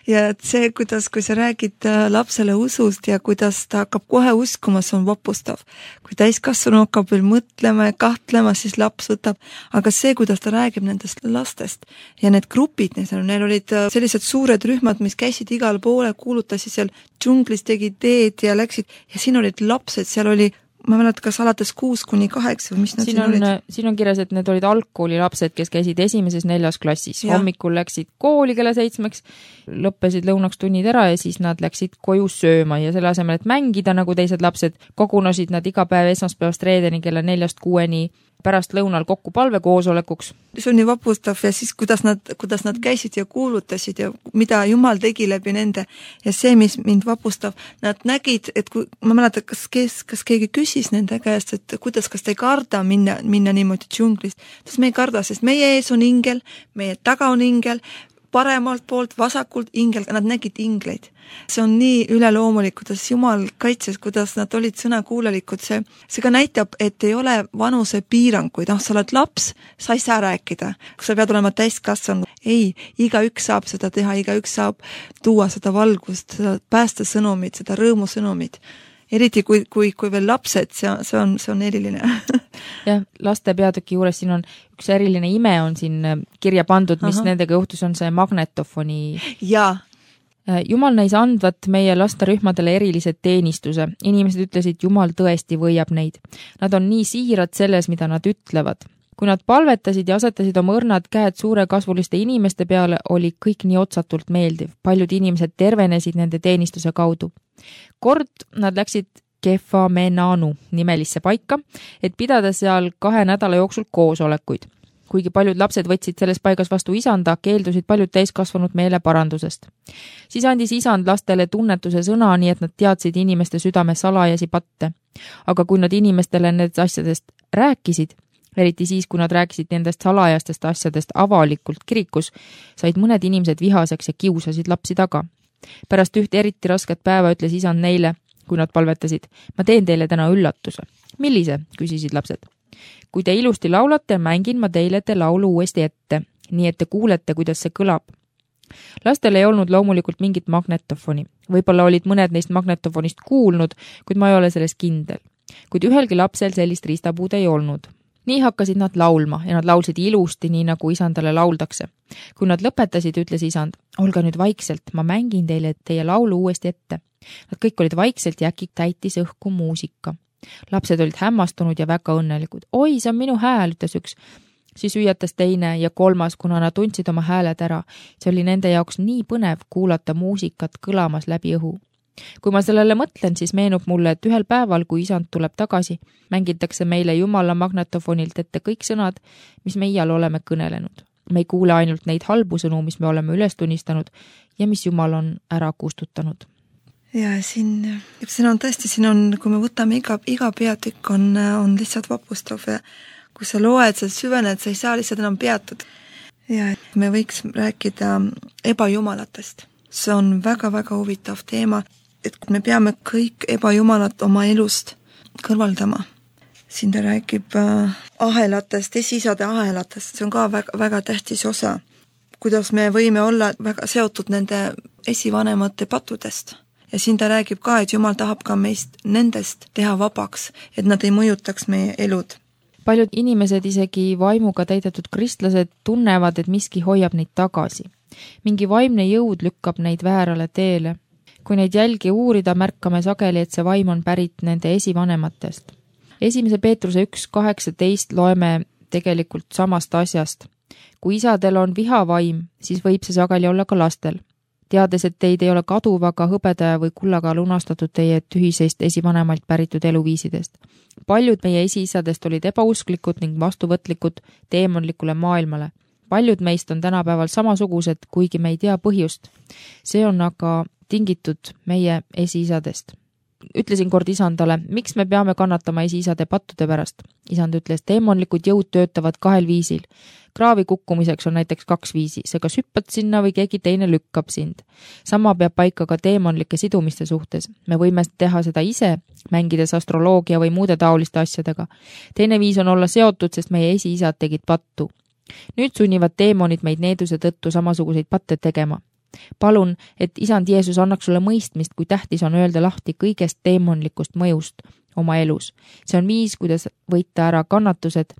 ja et see, kuidas, kui sa räägid lapsele usust ja kuidas ta hakkab kohe uskuma, see on vapustav. Kui täiskasvanu hakkab veel mõtlema ja kahtlema, siis laps võtab, aga see, kuidas ta räägib nendest lastest ja need grupid, neil olid sellised suured rühmad, mis käisid igal poole, kuulutasid seal džunglis, tegid teed ja läksid ja siin olid lapsed, seal oli ma mäletan, kas alates kuus kuni kaheksa või mis nad siin siin on, olid? Siin on kirjas, et need olid algkooli lapsed, kes käisid esimeses neljas klassis. Ja. Hommikul läksid kooli kella seitsmeks, lõppesid lõunaks tunnid ära ja siis nad läksid koju sööma ja selle asemel, et mängida nagu teised lapsed, kogunesid nad iga päev esmaspäevast reedeni kella neljast kuueni pärast lõunal kokku palvekoosolekuks. See on nii vapustav ja siis kuidas nad, kuidas nad käisid ja kuulutasid ja mida Jumal tegi läbi nende ja see, mis mind vapustab, nad nägid, et kui, ma mäletan, kas, kes, kas keegi küsis nende käest, et kuidas, kas te ei karda minna, minna niimoodi džunglist, sest me ei karda, sest meie ees on ingel, meie taga on ingel, paremalt poolt, vasakult ingel, nad nägid ingleid. See on nii üleloomulik, kuidas Jumal kaitses, kuidas nad olid sõnakuulelikud. See, see ka näitab, et ei ole vanuse piiranguid. Ah, sa oled laps, sa ei saa rääkida. Kui sa pead olema täiskasvanud. Ei, iga üks saab seda teha, iga üks saab tuua seda valgust, seda päästa sõnumit, seda rõõmu sõnumit. Eriti kui, kui, kui veel lapsed, see, see, on, see on eriline. Jah, laste peatüki juures siin on üks eriline ime on siin kirja pandud, mis Aha. nendega juhtus, on see magnetofoni. Jaa. Jumal näis andvat meie lasterühmadele erilised teenistuse. Inimesed ütlesid, Jumal tõesti võiab neid. Nad on nii siirad selles, mida nad ütlevad. Kui nad palvetasid ja asetasid oma õrnad käed suure kasvuliste inimeste peale, oli kõik nii otsatult meeldiv. Paljud inimesed tervenesid nende teenistuse kaudu. Kord nad läksid Kefamenanu nimelisse paika, et pidada seal kahe nädala jooksul koosolekuid. Kuigi paljud lapsed võtsid selles paigas vastu isanda, keeldusid paljud täiskasvanud meele parandusest. Siis andis isand lastele tunnetuse sõna, nii et nad teadsid inimeste südame salajasi patte. Aga kui nad inimestele nendest asjadest rääkisid, eriti siis, kui nad rääkisid nendest salajastest asjadest avalikult kirikus, said mõned inimesed vihaseks ja kiusasid lapsi taga. Pärast ühte eriti rasket päeva ütles isand neile, kui nad palvetasid, ma teen teile täna üllatuse. Millise, küsisid lapsed. Kui te ilusti laulate, mängin ma teile te laulu uuesti ette, nii et te kuulete, kuidas see kõlab. Lastel ei olnud loomulikult mingit magnetofoni. Võib-olla olid mõned neist magnetofonist kuulnud, kuid ma ei ole selles kindel. Kuid ühelgi lapsel sellist riistapuud ei olnud. Nii hakkasid nad laulma ja nad laulsid ilusti, nii nagu isandale lauldakse. Kui nad lõpetasid, ütles isand, olge nüüd vaikselt, ma mängin teile teie laulu uuesti ette. Nad kõik olid vaikselt ja äkki täitis õhku muusika. Lapsed olid hämmastunud ja väga õnnelikud. Oi, see on minu hääl, ütles üks. Siis hüüatas teine ja kolmas, kuna nad tundsid oma hääled ära. See oli nende jaoks nii põnev kuulata muusikat kõlamas läbi õhu. Kui ma sellele mõtlen, siis meenub mulle, et ühel päeval, kui isand tuleb tagasi, mängitakse meile Jumala magnetofonilt ette kõik sõnad, mis me iial oleme kõnelenud. Me ei kuule ainult neid halbu sõnu, mis me oleme üles tunnistanud ja mis Jumal on ära kustutanud. Ja siin, siin on tõesti, siin on, kui me võtame iga, iga peatükk on, on lihtsalt vapustav ja kui sa loed, sa süvened, sa ei saa lihtsalt enam peatud. Ja me võiks rääkida ebajumalatest. See on väga-väga huvitav teema, et me peame kõik ebajumalat oma elust kõrvaldama. Siin ta räägib ahelatest, esisade ahelatest, see on ka väga, väga tähtis osa. Kuidas me võime olla väga seotud nende esivanemate patudest. Ja siin ta räägib ka, et Jumal tahab ka meist nendest teha vabaks, et nad ei mõjutaks meie elud. Paljud inimesed, isegi vaimuga täidetud kristlased, tunnevad, et miski hoiab neid tagasi. Mingi vaimne jõud lükkab neid väärale teele. kui neid jälgi uurida, märkame sageli, et see vaim on pärit nende esivanematest. Esimese Peetruse üks kaheksateist loeme tegelikult samast asjast. Kui isadel on vihavaim, siis võib see sageli olla ka lastel. Teades, et teid ei ole kaduvaga hõbeda või kullaga lunastatud teie tühiseist esivanemalt päritud eluviisidest. Paljud meie esiisadest olid ebausklikud ning vastuvõtlikud teemonlikule maailmale. Paljud meist on tänapäeval samasugused, kuigi me ei tea põhjust. See on aga tingitud meie esiisadest. Ütlesin kord isandale, miks me peame kannatama esiisade pattude pärast. Isand ütles, teemonlikud jõud töötavad kahel viisil. Kraavi kukkumiseks on näiteks kaks viisi, see kas hüppad sinna või keegi teine lükkab sind. Sama peab paika ka teemonlike sidumiste suhtes. Me võime teha seda ise, mängides astroloogia või muude taoliste asjadega. Teine viis on olla seotud, sest meie esiisad tegid pattu. Nüüd sunnivad teemonid meid needuse tõttu samasuguseid patte tegema. Palun, et isand Jeesus annaks sulle mõistmist, kui tähtis on öelda lahti kõigest teemonlikust mõjust oma elus. See on viis, kuidas võita ära kannatused,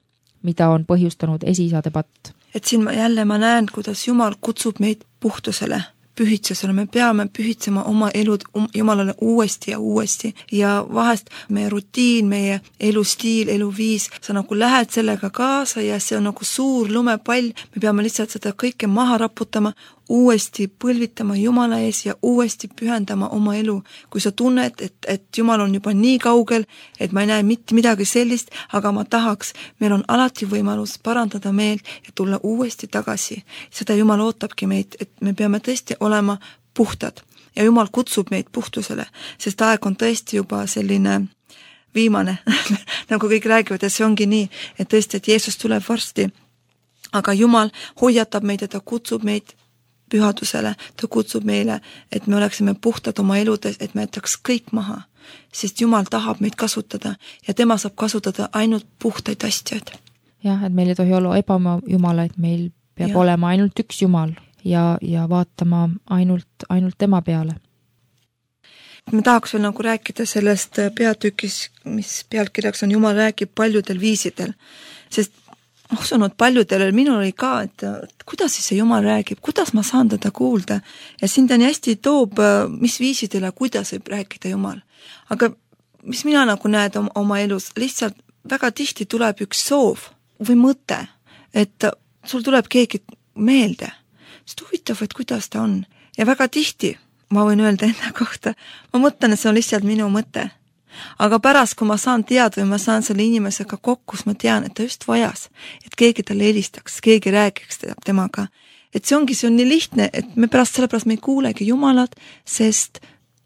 mida on põhjustanud esiisade patt. Et siin ma jälle ma näen, kuidas Jumal kutsub meid puhtusele, pühitsusele. Me peame pühitsema oma elud Jumalale uuesti ja uuesti. Ja vahest meie rutiin, meie elustiil, eluviis, sa nagu lähed sellega kaasa ja see on nagu suur lumepall. Me peame lihtsalt seda kõike maha raputama, uuesti põlvitama Jumala ees ja uuesti pühendama oma elu. Kui sa tunned, et, et Jumal on juba nii kaugel, et ma ei näe mitte midagi sellist, aga ma tahaks, meil on alati võimalus parandada meelt ja tulla uuesti tagasi. Seda Jumal ootabki meid, et me peame tõesti olema puhtad ja Jumal kutsub meid puhtusele, sest aeg on tõesti juba selline viimane, nagu kõik räägivad ja see ongi nii, et tõesti, et Jeesus tuleb varsti, aga Jumal hoiatab meid ja ta kutsub meid pühadusele, ta kutsub meile, et me oleksime puhtad oma eludes, et me jätaks kõik maha, sest Jumal tahab meid kasutada ja tema saab kasutada ainult puhtaid asjad. Jah, et meil ei tohi olla ebama Jumala, et meil peab ja. olema ainult üks Jumal ja, ja vaatama ainult, ainult tema peale. Me tahaks veel nagu rääkida sellest peatükis, mis pealkirjaks on Jumal räägib paljudel viisidel, sest ma usun, et paljudel minul oli ka, et, et kuidas siis see Jumal räägib, kuidas ma saan teda kuulda ja siin ta nii hästi toob, mis viisidele, kuidas võib rääkida Jumal. Aga mis mina nagu näed oma, oma elus, lihtsalt väga tihti tuleb üks soov või mõte, et sul tuleb keegi meelde, sest huvitav, et kuidas ta on ja väga tihti, ma võin öelda enda kohta, ma mõtlen, et see on lihtsalt minu mõte. Aga pärast, kui ma saan teada või ma saan selle inimesega kokku, siis ma tean, et ta just vajas, et keegi talle helistaks, keegi räägiks temaga. Et see ongi, see on nii lihtne, et me pärast sellepärast me ei kuulegi Jumalat, sest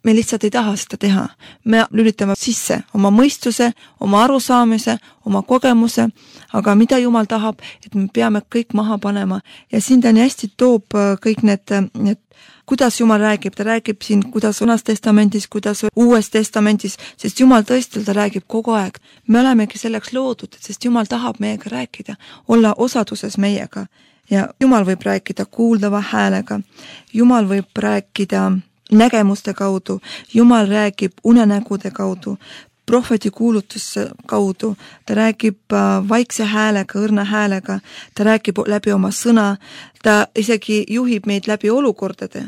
me lihtsalt ei taha seda teha. Me lülitame sisse oma mõistuse, oma arusaamise, oma kogemuse, aga mida Jumal tahab, et me peame kõik maha panema. Ja siin ta nii hästi toob kõik need, need kuidas Jumal räägib, ta räägib siin, kuidas Vanas testamendis, kuidas Uues testamendis, sest Jumal tõesti ta räägib kogu aeg. Me olemegi selleks loodud, sest Jumal tahab meiega rääkida, olla osaduses meiega ja Jumal võib rääkida kuuldava häälega, Jumal võib rääkida nägemuste kaudu, Jumal räägib unenägude kaudu, prohveti kuulutuse kaudu, ta räägib vaikse häälega, õrna häälega, ta räägib läbi oma sõna, ta isegi juhib meid läbi olukordade.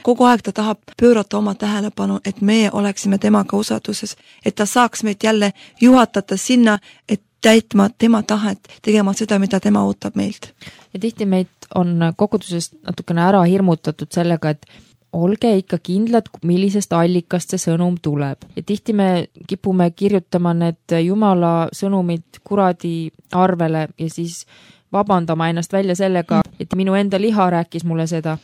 Kogu aeg ta tahab pöörata oma tähelepanu, et meie oleksime temaga osaduses, et ta saaks meid jälle juhatada sinna, et täitma tema tahet, tegema seda, mida tema ootab meilt. Ja tihti meid on kogudusest natukene ära hirmutatud sellega, et olge ikka kindlad, millisest allikast see sõnum tuleb. Ja tihti me kipume kirjutama need Jumala sõnumid kuradi arvele ja siis vabandama ennast välja sellega, et minu enda liha rääkis mulle seda,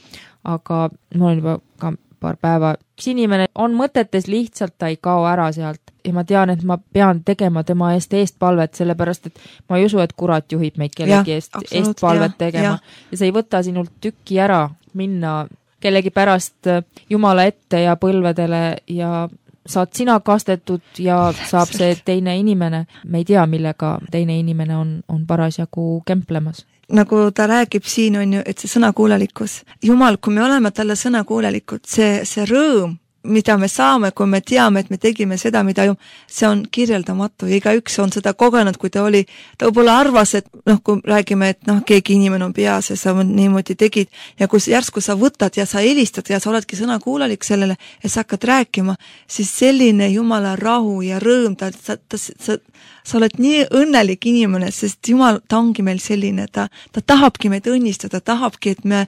aga mul on juba ka paar päeva. Üks inimene on mõtetes, lihtsalt ta ei kao ära sealt ja ma tean, et ma pean tegema tema eest eestpalvet, sellepärast et ma ei usu, et kurat juhib meid kellegi ja, eest eestpalvet ja, tegema ja. ja see ei võta sinult tükki ära minna kellegi pärast Jumala ette ja põlvedele ja saad sina kastetud ja saab see teine inimene. Me ei tea, millega teine inimene on, on parasjagu kemplemas. Nagu ta räägib siin on ju, et see sõnakuulelikkus. Jumal, kui me oleme talle sõnakuulelikud, see, see rõõm, mida me saame, kui me teame, et me tegime seda, mida ju, see on kirjeldamatu ja igaüks on seda kogenud, kui ta oli, ta võib-olla arvas, et noh, kui räägime, et noh, keegi inimene on peas ja sa niimoodi tegid ja kui järsku sa võtad ja sa helistad ja sa oledki sõnakuulalik sellele ja sa hakkad rääkima, siis selline Jumala rahu ja rõõm, ta, ta, ta, sa, sa oled nii õnnelik inimene, sest Jumal, ta ongi meil selline, ta, ta tahabki meid õnnistada, tahabki, et me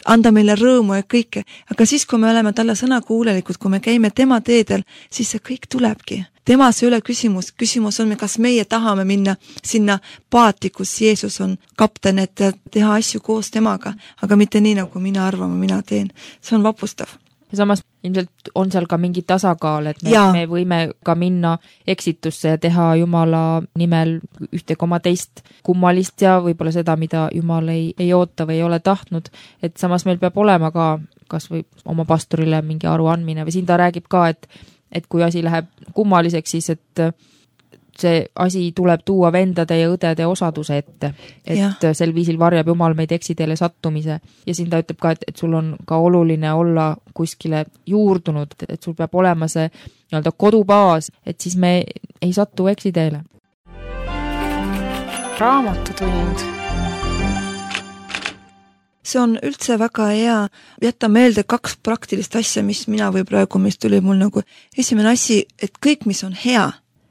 anda meile rõõmu ja kõike, aga siis, kui me oleme talle sõnakuulelikud, kui me käime tema teedel, siis see kõik tulebki. Temas ei ole küsimus, küsimus on, kas meie tahame minna sinna paati, kus Jeesus on kapten, et teha asju koos temaga, aga mitte nii, nagu mina arvan, mina teen. See on vapustav. Ja samas ilmselt on seal ka mingi tasakaal, et me, me võime ka minna eksitusse ja teha Jumala nimel ühte koma teist kummalist ja võib-olla seda, mida Jumal ei, ei oota või ei ole tahtnud, et samas meil peab olema ka kas või oma pastorile mingi aru andmine või siin ta räägib ka, et, et kui asi läheb kummaliseks, siis et see asi tuleb tuua vendade ja õdede osaduse ette, et ja. Sel viisil varjab Jumal meid eksiteele sattumise ja siin ta ütleb ka, et, et sul on ka oluline olla kuskile juurdunud, et sul peab olema see nii-öelda kodubaas, et siis me ei satu eksiteele. Raamatutund. See on üldse väga hea jätta meelde kaks praktilist asja, mis mina või praegu, mis tuli mul nagu esimene asi, et kõik, mis on hea,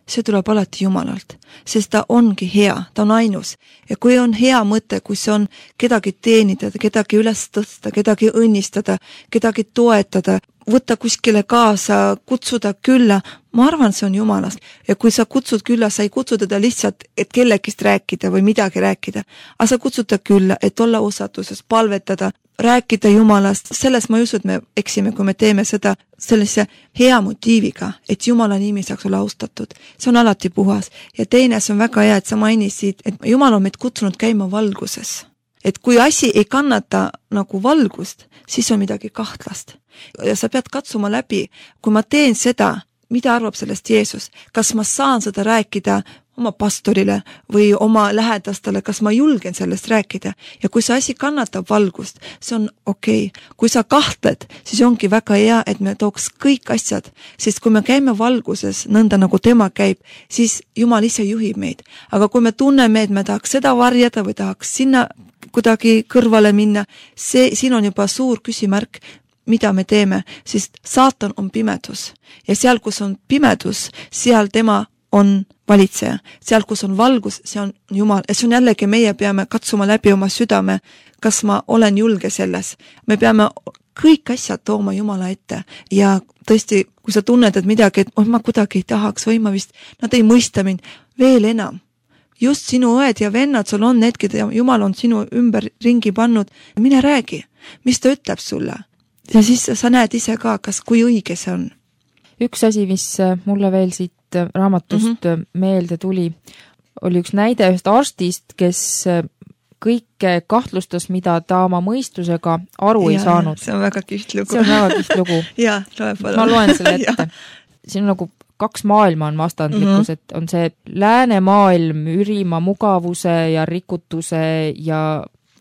see tuleb alati Jumalalt, sest ta ongi hea, ta on ainus. Ja kui on hea mõte, kui see on kedagi teenida, kedagi üles tõsta, kedagi õnnistada, kedagi toetada, võtta kuskile kaasa, kutsuda külla, ma arvan, see on Jumalast. Ja kui sa kutsud külla, sa ei kutsu teda lihtsalt, et kellegist rääkida või midagi rääkida, aga sa kutsud ta külla, et olla osatuses, palvetada, rääkida Jumalast, selles ma ei usu, et me eksime, kui me teeme seda sellise hea motiiviga, et Jumala nimi saaks olla austatud. See on alati puhas. Ja teine, see on väga hea, et sa mainisid, et Jumal on meid kutsunud käima valguses. Et kui asi ei kannata nagu valgust, siis on midagi kahtlast. Ja sa pead katsuma läbi, kui ma teen seda, mida arvab sellest Jeesus, kas ma saan seda rääkida oma pastorile või oma lähedastele, kas ma julgen sellest rääkida. Ja kui see asi kannatab valgust, see on okei. Okay. Kui sa kahtled, siis ongi väga hea, et me tooks kõik asjad, sest kui me käime valguses, nõnda nagu tema käib, siis Jumal ise juhib meid. Aga kui me tunneme, et me tahaks seda varjada või tahaks sinna kuidagi kõrvale minna, see, siin on juba suur küsimärk, mida me teeme, sest saatan on pimedus. Ja seal, kus on pimedus, seal tema on valitseja. Seal, kus on valgus, see on Jumal. Ja see on jällegi, meie peame katsuma läbi oma südame, kas ma olen julge selles. Me peame kõik asjad tooma Jumala ette. Ja tõesti, kui sa tunned, et midagi, et oh, ma kuidagi ei tahaks või ma vist, nad ei mõista mind veel enam. Just sinu õed ja vennad, sul on need, keda Jumal on sinu ümber ringi pannud. Mine räägi, mis ta ütleb sulle. Ja siis sa näed ise ka, kas kui õige see on. Üks asi, mis mulle veel siit raamatust mm-hmm. meelde tuli, oli üks näide ühest arstist, kes kõike kahtlustas, mida ta oma mõistusega aru ja, ei saanud. See on väga kiht lugu. See on väga kiht lugu. ja, loe palun. Ma loen selle ette. Siin on nagu kaks maailma on vastandlikkus, mm-hmm. et on see läänemaailm ürima mugavuse ja rikutuse ja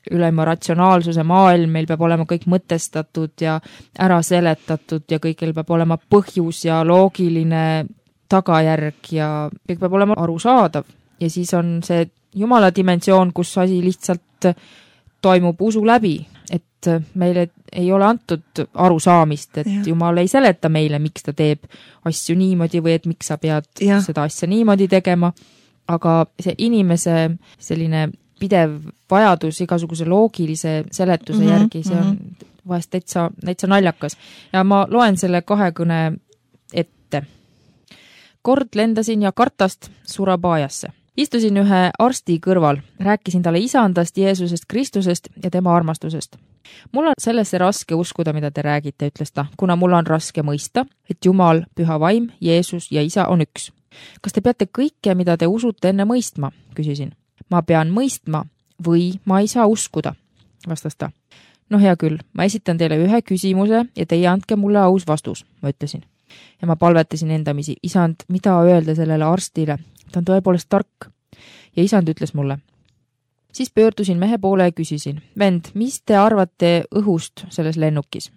ülema ratsionaalsuse maailm, meil peab olema kõik mõtestatud ja ära seletatud ja kõigil peab olema põhjus ja loogiline tagajärg ja kõik peab olema arusaadav. Ja siis on see Jumala dimensioon, kus asi lihtsalt toimub usu läbi, et meile ei ole antud arusaamist, et ja. Jumal ei seleta meile, miks ta teeb asju niimoodi või et miks sa pead ja. Seda asja niimoodi tegema, aga see inimese selline pidev vajadus igasuguse loogilise seletuse mm-hmm, järgi, see on mm-hmm. vahest täitsa, täitsa naljakas. Ja ma loen selle kahekõne ette. Kord lendasin ja kartast Surabaajasse. Istusin ühe arsti kõrval, rääkisin talle isandast, Jeesusest, Kristusest ja tema armastusest. Mul on sellesse raske uskuda, mida te räägite, ütles ta, kuna mul on raske mõista, et Jumal, Püha Vaim, Jeesus ja Isa on üks. Kas te peate kõike, mida te usute enne mõistma, küsisin. Ma pean mõistma või ma ei saa uskuda, vastas ta. No hea küll, ma esitan teile ühe küsimuse ja teie andke mulle aus vastus, ma ütlesin. Ja ma palvetasin endamisi, isand, mida öelda sellele arstile? Ta on tõepoolest tark. Ja isand ütles mulle. Siis pöördusin mehe poole ja küsisin, vend, mis te arvate õhust selles lennukis?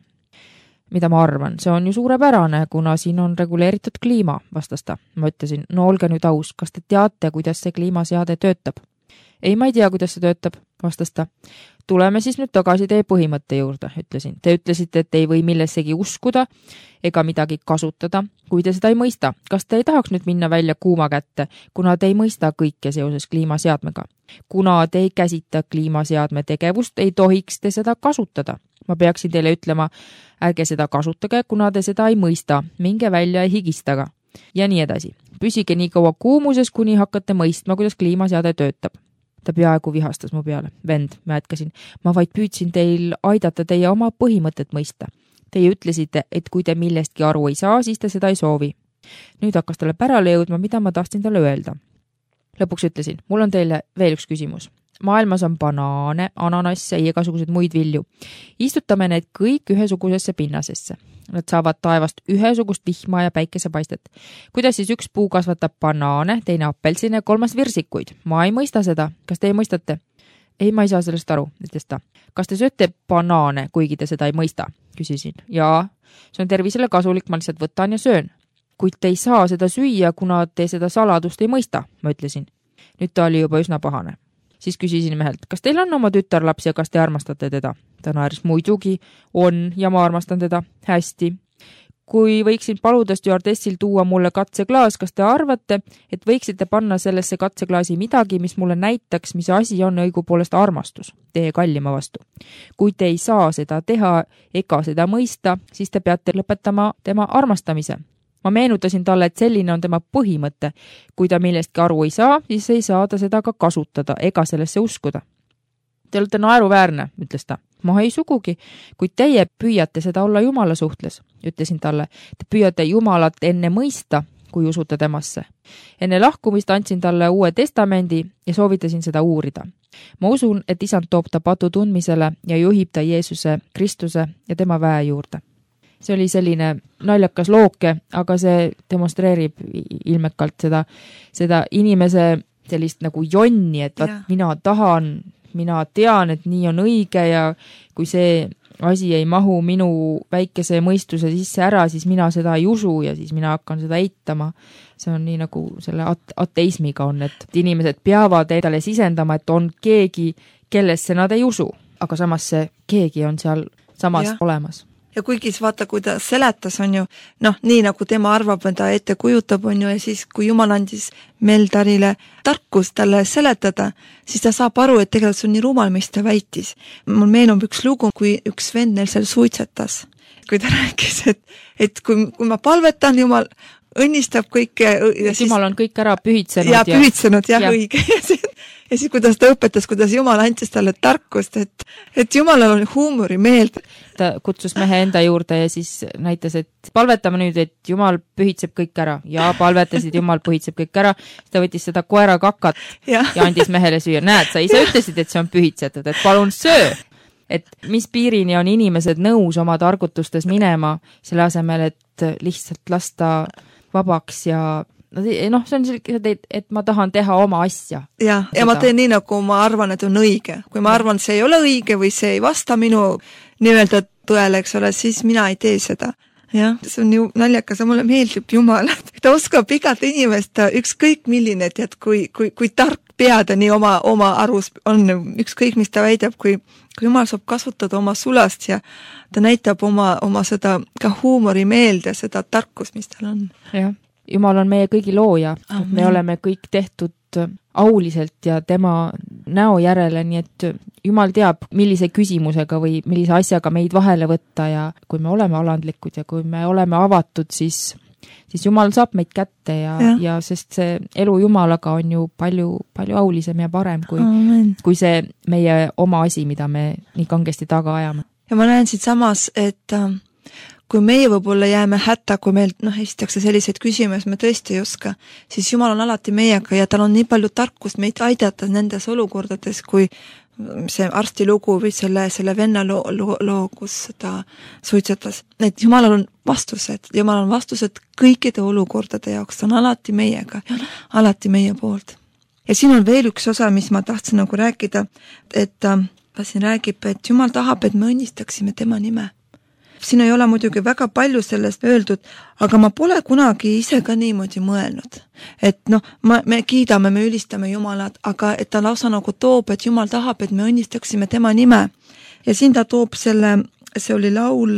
mida ma arvan, see on ju suurepärane, kuna siin on reguleeritud kliima, vastas ta. Ma ütlesin, no olge nüüd aus, kas te teate, kuidas see kliimaseade töötab? Ei, ma ei tea, kuidas see töötab, vastas ta. Tuleme siis nüüd tagasi teie põhimõtte juurde, ütlesin. Te ütlesite, et ei või millessegi uskuda ega midagi kasutada, kui te seda ei mõista. Kas te ei tahaks nüüd minna välja kuuma kätte, kuna te ei mõista kõike seoses kliimaseadmega? Kuna te ei käsita kliimaseadme tegevust, ei tohiks te seda kasutada. Ma peaksin teile ütlema, ärge seda kasutage, kuna te seda ei mõista, minge välja ja higistaga. Ja nii edasi. Püsige nii kaua kuumuses, kuni hakkate mõistma, kuidas kliimaseade töötab. Ta peaaegu vihastas mu peale. Vend, ma jätkasin. Ma vaid püüdsin teil aidata teie oma põhimõtet mõista. Teie ütlesite, et kui te millestki aru ei saa, siis te seda ei soovi. Nüüd hakkas talle pärale jõudma, mida ma tahtsin talle öelda. Lõpuks ütlesin, mul on teile veel üks küsimus. Maailmas on banaane, ananasse ja igasugused muid vilju. Istutame need kõik ühesugusesse pinnasesse. Nad saavad taevast ühesugust vihma ja päikesepaistet. Kuidas siis üks puu kasvatab banaane, teine appelsine ja kolmas virsikuid? Ma ei mõista seda. Kas teie mõistate? Ei, ma ei saa sellest aru, ütles ta. Kas te sööte banaane, kuigi te seda ei mõista? Küsisin. Jaa, see on tervisele kasulik, ma lihtsalt võtan ja söön. Kuid te ei saa seda süüa, kuna te seda saladust ei mõista, ma ütlesin. Nüüd ta oli juba üsna pahane. Siis küsisin mehelt, kas teil on oma tütarlaps ja kas te armastate teda? Ta naeris, muidugi on ja ma armastan teda. Hästi. Kui võiksin paluda stjuardessil tuua mulle katseklaas, kas te arvate, et võiksite panna sellesse katseklaasi midagi, mis mulle näitaks, mis asi on õigupoolest armastus teie kallima vastu? Kui te ei saa seda teha ega seda mõista, siis te peate lõpetama tema armastamise. Ma meenutasin talle, et selline on tema põhimõte. Kui ta millestki aru ei saa, siis ei saa ta seda ka kasutada ega sellesse uskuda. Te olete naeruväärne, ütles ta. Ma ei sugugi, kuid teie püüate seda olla Jumala suhtles, ütlesin talle. Te püüate Jumalat enne mõista, kui usute temasse. Enne lahkumist andsin talle uue testamendi ja soovitasin seda uurida. Ma usun, et isand toob ta patu tundmisele ja juhib ta Jeesuse, Kristuse ja tema väe juurde. See oli selline naljakas looke, aga see demonstreerib ilmekalt seda, seda inimese sellist nagu jonni, et vaat, mina tahan, mina tean, et nii on õige ja kui see asi ei mahu minu väikese mõistuse sisse ära, siis mina seda ei usu ja siis mina hakkan seda eitama. See on nii nagu selle ateismiga on, et inimesed peavad endale sisendama, et on keegi, kellesse nad ei usu, aga samas see keegi on seal samas ja. Olemas. Ja kuigi vaata, kui ta seletas, on ju, noh, nii nagu tema arvab, ta ette kujutab, on ju, ja siis kui Jumal andis Meldarile tarkus talle seletada, siis ta saab aru, et tegelikult see on nii rumal, mis ta väitis. Mul meenub üks lugu, kui üks vend neil seal suitsetas, kui ta rääkis, et, et kui, kui ma palvetan, Jumal õnnistab kõike. Ja siis, Jumal on kõik ära pühitsenud. Ja, ja pühitsenud, jah, ja. Õige. Ja siis, kuidas ta õpetas, kuidas Jumal andis talle tarkust, et, et Jumalal on huumori meeld. Ta kutsus mehe enda juurde ja siis näitas, et palvetame nüüd, et Jumal pühitseb kõik ära. Ja palvetasid, Jumal pühitseb kõik ära. Ta võttis seda koera kakat ja, ja andis mehele süüa. Näed, sa ise ütlesid, et see on pühitsetud, et palun söö. Et mis piirini on inimesed nõus oma targutustes minema selle asemel, et lihtsalt lasta vabaks ja noh, see on selline, et, et ma tahan teha oma asja. Ja, ja ma teen nii, nagu ma arvan, et on õige. Kui ma arvan, et see ei ole õige või see ei vasta minu nii-öelda tõele, eks ole, siis mina ei tee seda. Jah, see on ju naljakas ja mulle meeldib Jumal. Ta oskab igat inimest ükskõik milline, et kui, kui, kui tark peada nii oma, oma arus on ükskõik, mis ta väidab, kui, kui Jumal saab kasutada oma sulast ja ta näitab oma, oma seda ka huumori meelde, seda tarkust, mis tal on. Jah. Jumal on meie kõigi looja, me oleme kõik tehtud auliselt ja tema näo järele, nii et Jumal teab, millise küsimusega või millise asjaga meid vahele võtta ja kui me oleme alandlikud ja kui me oleme avatud, siis, siis Jumal saab meid kätte ja, ja. ja sest see elu Jumalaga on ju palju, palju aulisem ja parem kui, kui see meie oma asi, mida me nii kangesti taga ajame. Ja ma näen siit samas, et kui meie võib-olla jääme hätta, kui meil noh, esitakse selliseid küsimusi, me tõesti ei oska, siis Jumal on alati meiega ja tal on nii palju tarkust meid aidata nendes olukordades, kui see arsti lugu või selle, selle venna loo, loo, loo, kus ta suitsetas. Et Jumalal on vastused, Jumal on vastused kõikide olukordade jaoks, ta on alati meiega, alati meie poolt. Ja siin on veel üks osa, mis ma tahtsin nagu rääkida, et ta siin räägib, et Jumal tahab, et me õnnistaksime tema nime. siin ei ole muidugi väga palju sellest öeldud, aga ma pole kunagi ise ka niimoodi mõelnud. Et noh, ma, me kiidame, me ülistame Jumalat, aga et ta lausa nagu toob, et Jumal tahab, et me õnnistaksime tema nime. Ja siin ta toob selle, see oli laul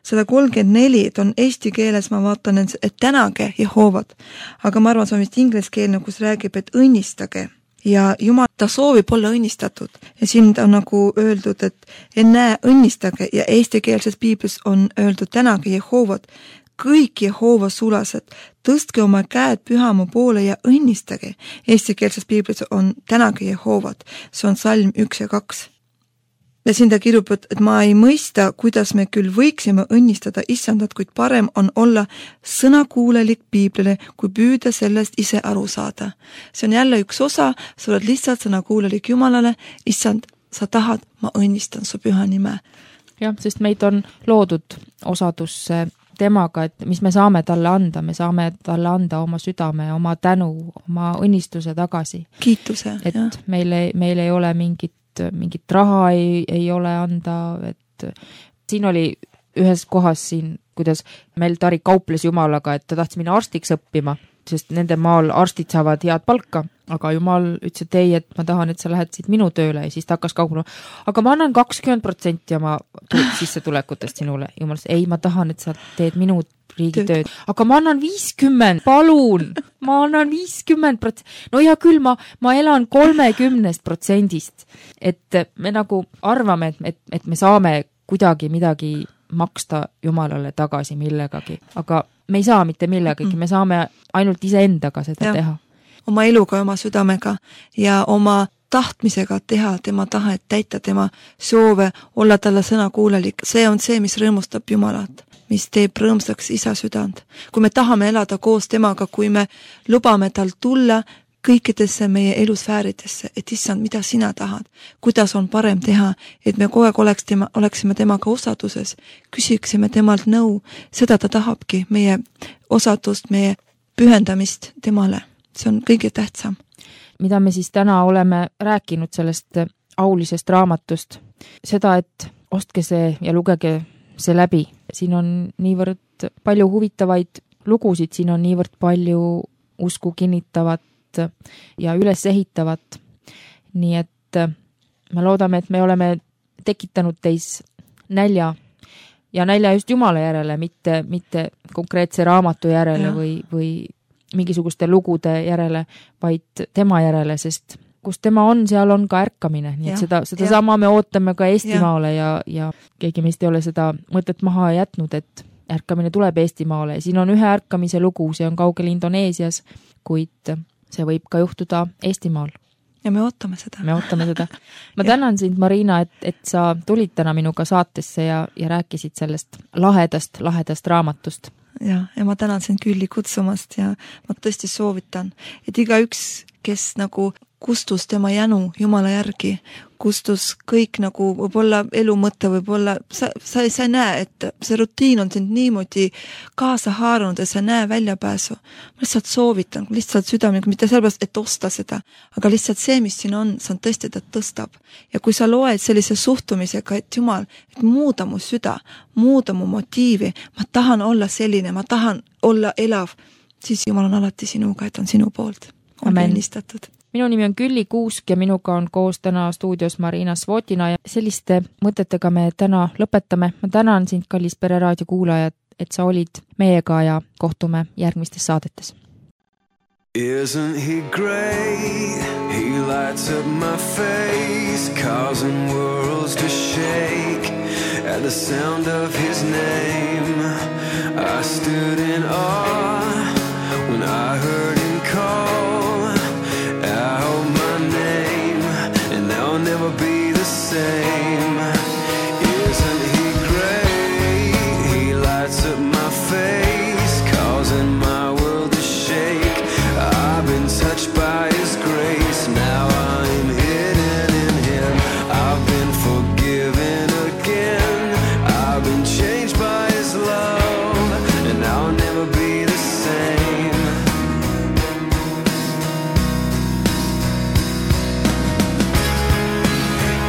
sada kolmkümmend neli, et on eesti keeles, ma vaatan, et tänage Jehoovat. Aga ma arvan, see on vist ingliskeelne, kus räägib, et õnnistage. Ja Jumal, ta soovib olla õnnistatud. Ja siin on nagu öeldud, et enne õnnistage ja eestikeelses piiblis on öeldud tänage Jehoovat. Kõik Jehova sulased, tõstke oma käed pühamu poole ja õnnistage. Eestikeelses piiblis on tänage Jehoovat. See on salm üks ja kaks. Ja siin ta kirjub, et ma ei mõista, kuidas me küll võiksime õnnistada issandat, kuid parem on olla sõnakuulelik piiblile, kui püüda sellest ise aru saada. See on jälle üks osa, sa oled lihtsalt sõnakuulelik Jumalale, issand, sa tahad, ma õnnistan su püha nime. Jah, sest meid on loodud osadus temaga, et mis me saame talle anda, me saame talle anda oma südame, oma tänu, oma õnnistuse tagasi. Kiituse. Et jah. Meil, ei, meil ei ole mingit mingit raha ei, ei ole anda, et siin oli ühes kohas siin, kuidas meil Tari kauples Jumalaga, et ta tahtis minna arstiks õppima, sest nende maal arstid saavad head palka, aga Jumal ütles, et ei, et ma tahan, et sa lähed siit minu tööle ja siis ta hakkas kauplema. Aga ma annan kakskümmend protsenti oma sissetulekutest sinule. Jumal ütles, ei, ma tahan, et sa teed minu riigitööd. Aga ma annan viiskümmend, palun, ma annan viiskümmend protsenti. No ja küll ma, ma elan kolmekümnest protsendist, et me nagu arvame, et, et, et me saame kuidagi midagi maksta Jumalale tagasi millegagi, aga me ei saa mitte millegagi, me saame ainult iseendaga seda ja. Teha. Oma eluga, oma südamega ja oma tahtmisega teha tema tahet, täita tema soove, olla talle sõna kuulelik. See on see, mis rõõmustab Jumalat, mis teeb rõõmsaks isa südant. Kui me tahame elada koos temaga, kui me lubame tal tulla kõikidesse meie elusfääridesse, et issand, mida sina tahad, kuidas on parem teha, et me kogu aeg oleks tema, oleksime temaga osaduses, küsiksime temalt nõu, seda ta tahabki, meie osadust, meie pühendamist temale. See on kõige tähtsam. Mida me siis täna oleme rääkinud sellest aulisest raamatust, seda, et ostke see ja lugege see läbi. Siin on niivõrd palju huvitavaid lugusid, siin on niivõrd palju usku kinnitavat ja üles ehitavat. Nii et me loodame, et me oleme tekitanud teis nälja ja nälja just Jumala järele, mitte, mitte konkreetse raamatu järele ja. või, või mingisuguste lugude järele, vaid tema järele, sest kus tema on, seal on ka ärkamine. Nii et ja, seda, seda ja. Sama me ootame ka Eestimaale ja, ja keegi meist ei ole seda mõtet maha jätnud, et ärkamine tuleb Eestimaale. Siin on ühe ärkamise lugu, see on kaugel Indoneesias, kuid see võib ka juhtuda Eestimaal. Ja me ootame seda. Me ootame seda. Ma tänan sind, Marina, et, et sa tulid täna minuga saatesse ja, ja rääkisid sellest lahedast, lahedast raamatust. Ja, ja ma tänan sind Külli kutsumast ja ma tõesti soovitan, et iga üks, kes nagu kustus tema jänu Jumala järgi, kustus kõik nagu võib-olla elu mõte, võib-olla sa, sa, sa ei näe, et see rutiin on sind niimoodi kaasa haarunud ja sa ei näe väljapääsu. Ma lihtsalt soovitan, lihtsalt südamega, mitte sellepärast, et osta seda, aga lihtsalt see, mis siin on, see on tõesti, ta tõstab. Ja kui sa loed sellise suhtumisega, et Jumal, et muuda mu süda, muuda mu motiivi, ma tahan olla selline, ma tahan olla elav, siis Jumal on alati sinuga, et on sinu poolt. On õnnistatud. Minu nimi on Külli Kuusk ja minuga on koos täna stuudios Marina Svotina ja selliste mõtetega me täna lõpetame. Ma tänan sind, kallis Pereraadio kuulajad, et sa olid meiega ja kohtume järgmistes saadetes. Isn't he great? He lights up my face, causing worlds to shake. At the sound of his name, I stood in awe when I heard him call out my name, and I'll never be the same. Isn't he great? He lights up my face, causing my world to shake. I've been touched by his grace, now I'm hidden in him. I've been forgiven again, I've been changed by his love, and I'll never be the same.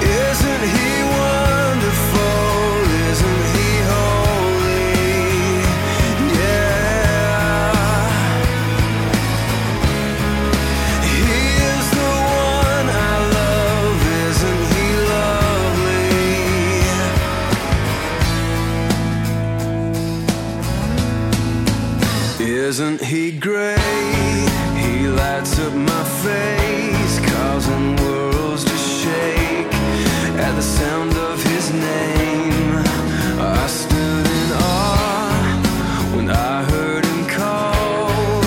Isn't he Isn't he great? He lights up my face, causing worlds to shake at the sound of his name. I stood in awe when I heard him call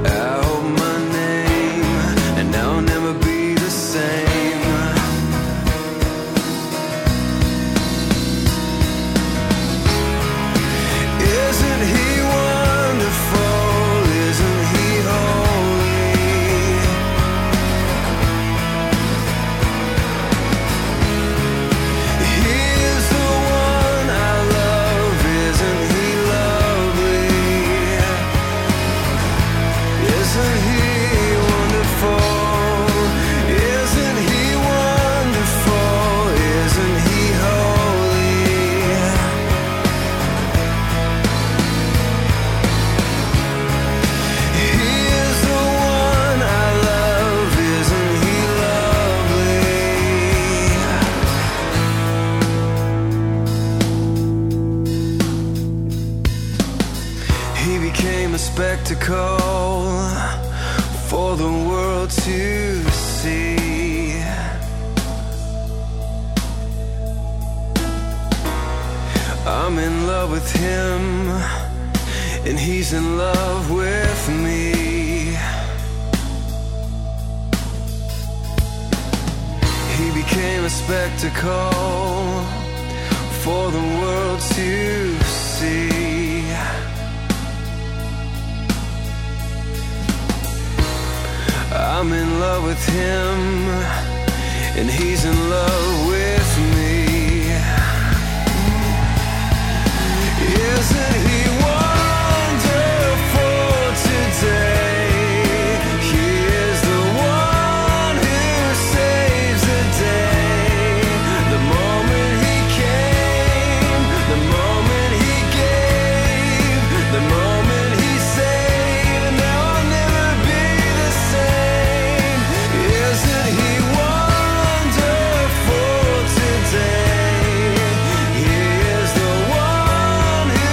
out my name, and now I'll never be the same. Isn't he wonderful? Isn't he holy? He is the one I love. Isn't he lovely? Isn't he wonderful? Isn't he wonderful? Isn't he holy? He is the one I love. Isn't he lovely? He became a spectacle for the world to see. I'm in love with him, and he's in love with me. He became a spectacle for the world to see. I'm in love with him, and he's in love with me. Isn't he wonderful today? He is the one who saves the day. The moment he came, the moment he gave, the moment he saved, and now I'll never be the same. Isn't he wonderful today? He is the one who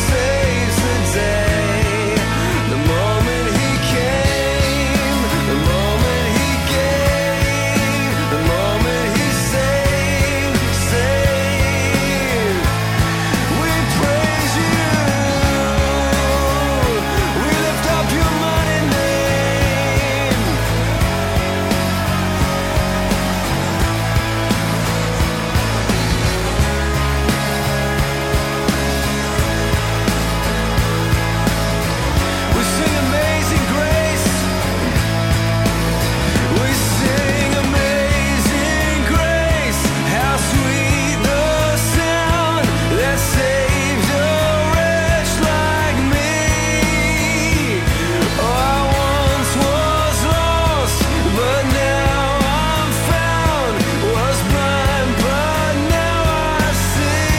saves the day. The moment he came, the moment he gave, the moment he saved, saved. We praise you, we lift up your mighty name. We sing Amazing Grace. We sing Amazing Grace. How sweet the sound that saved a wretch like me. Oh, I once was lost, but now I'm found. Was blind, but now I see.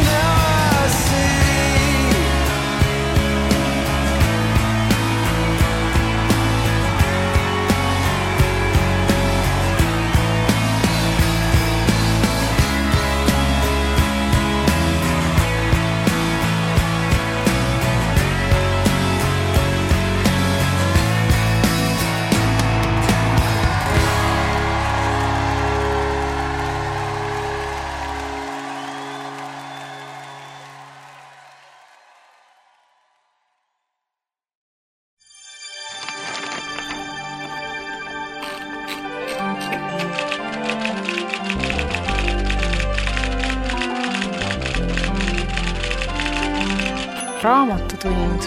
Now I see. raamatutund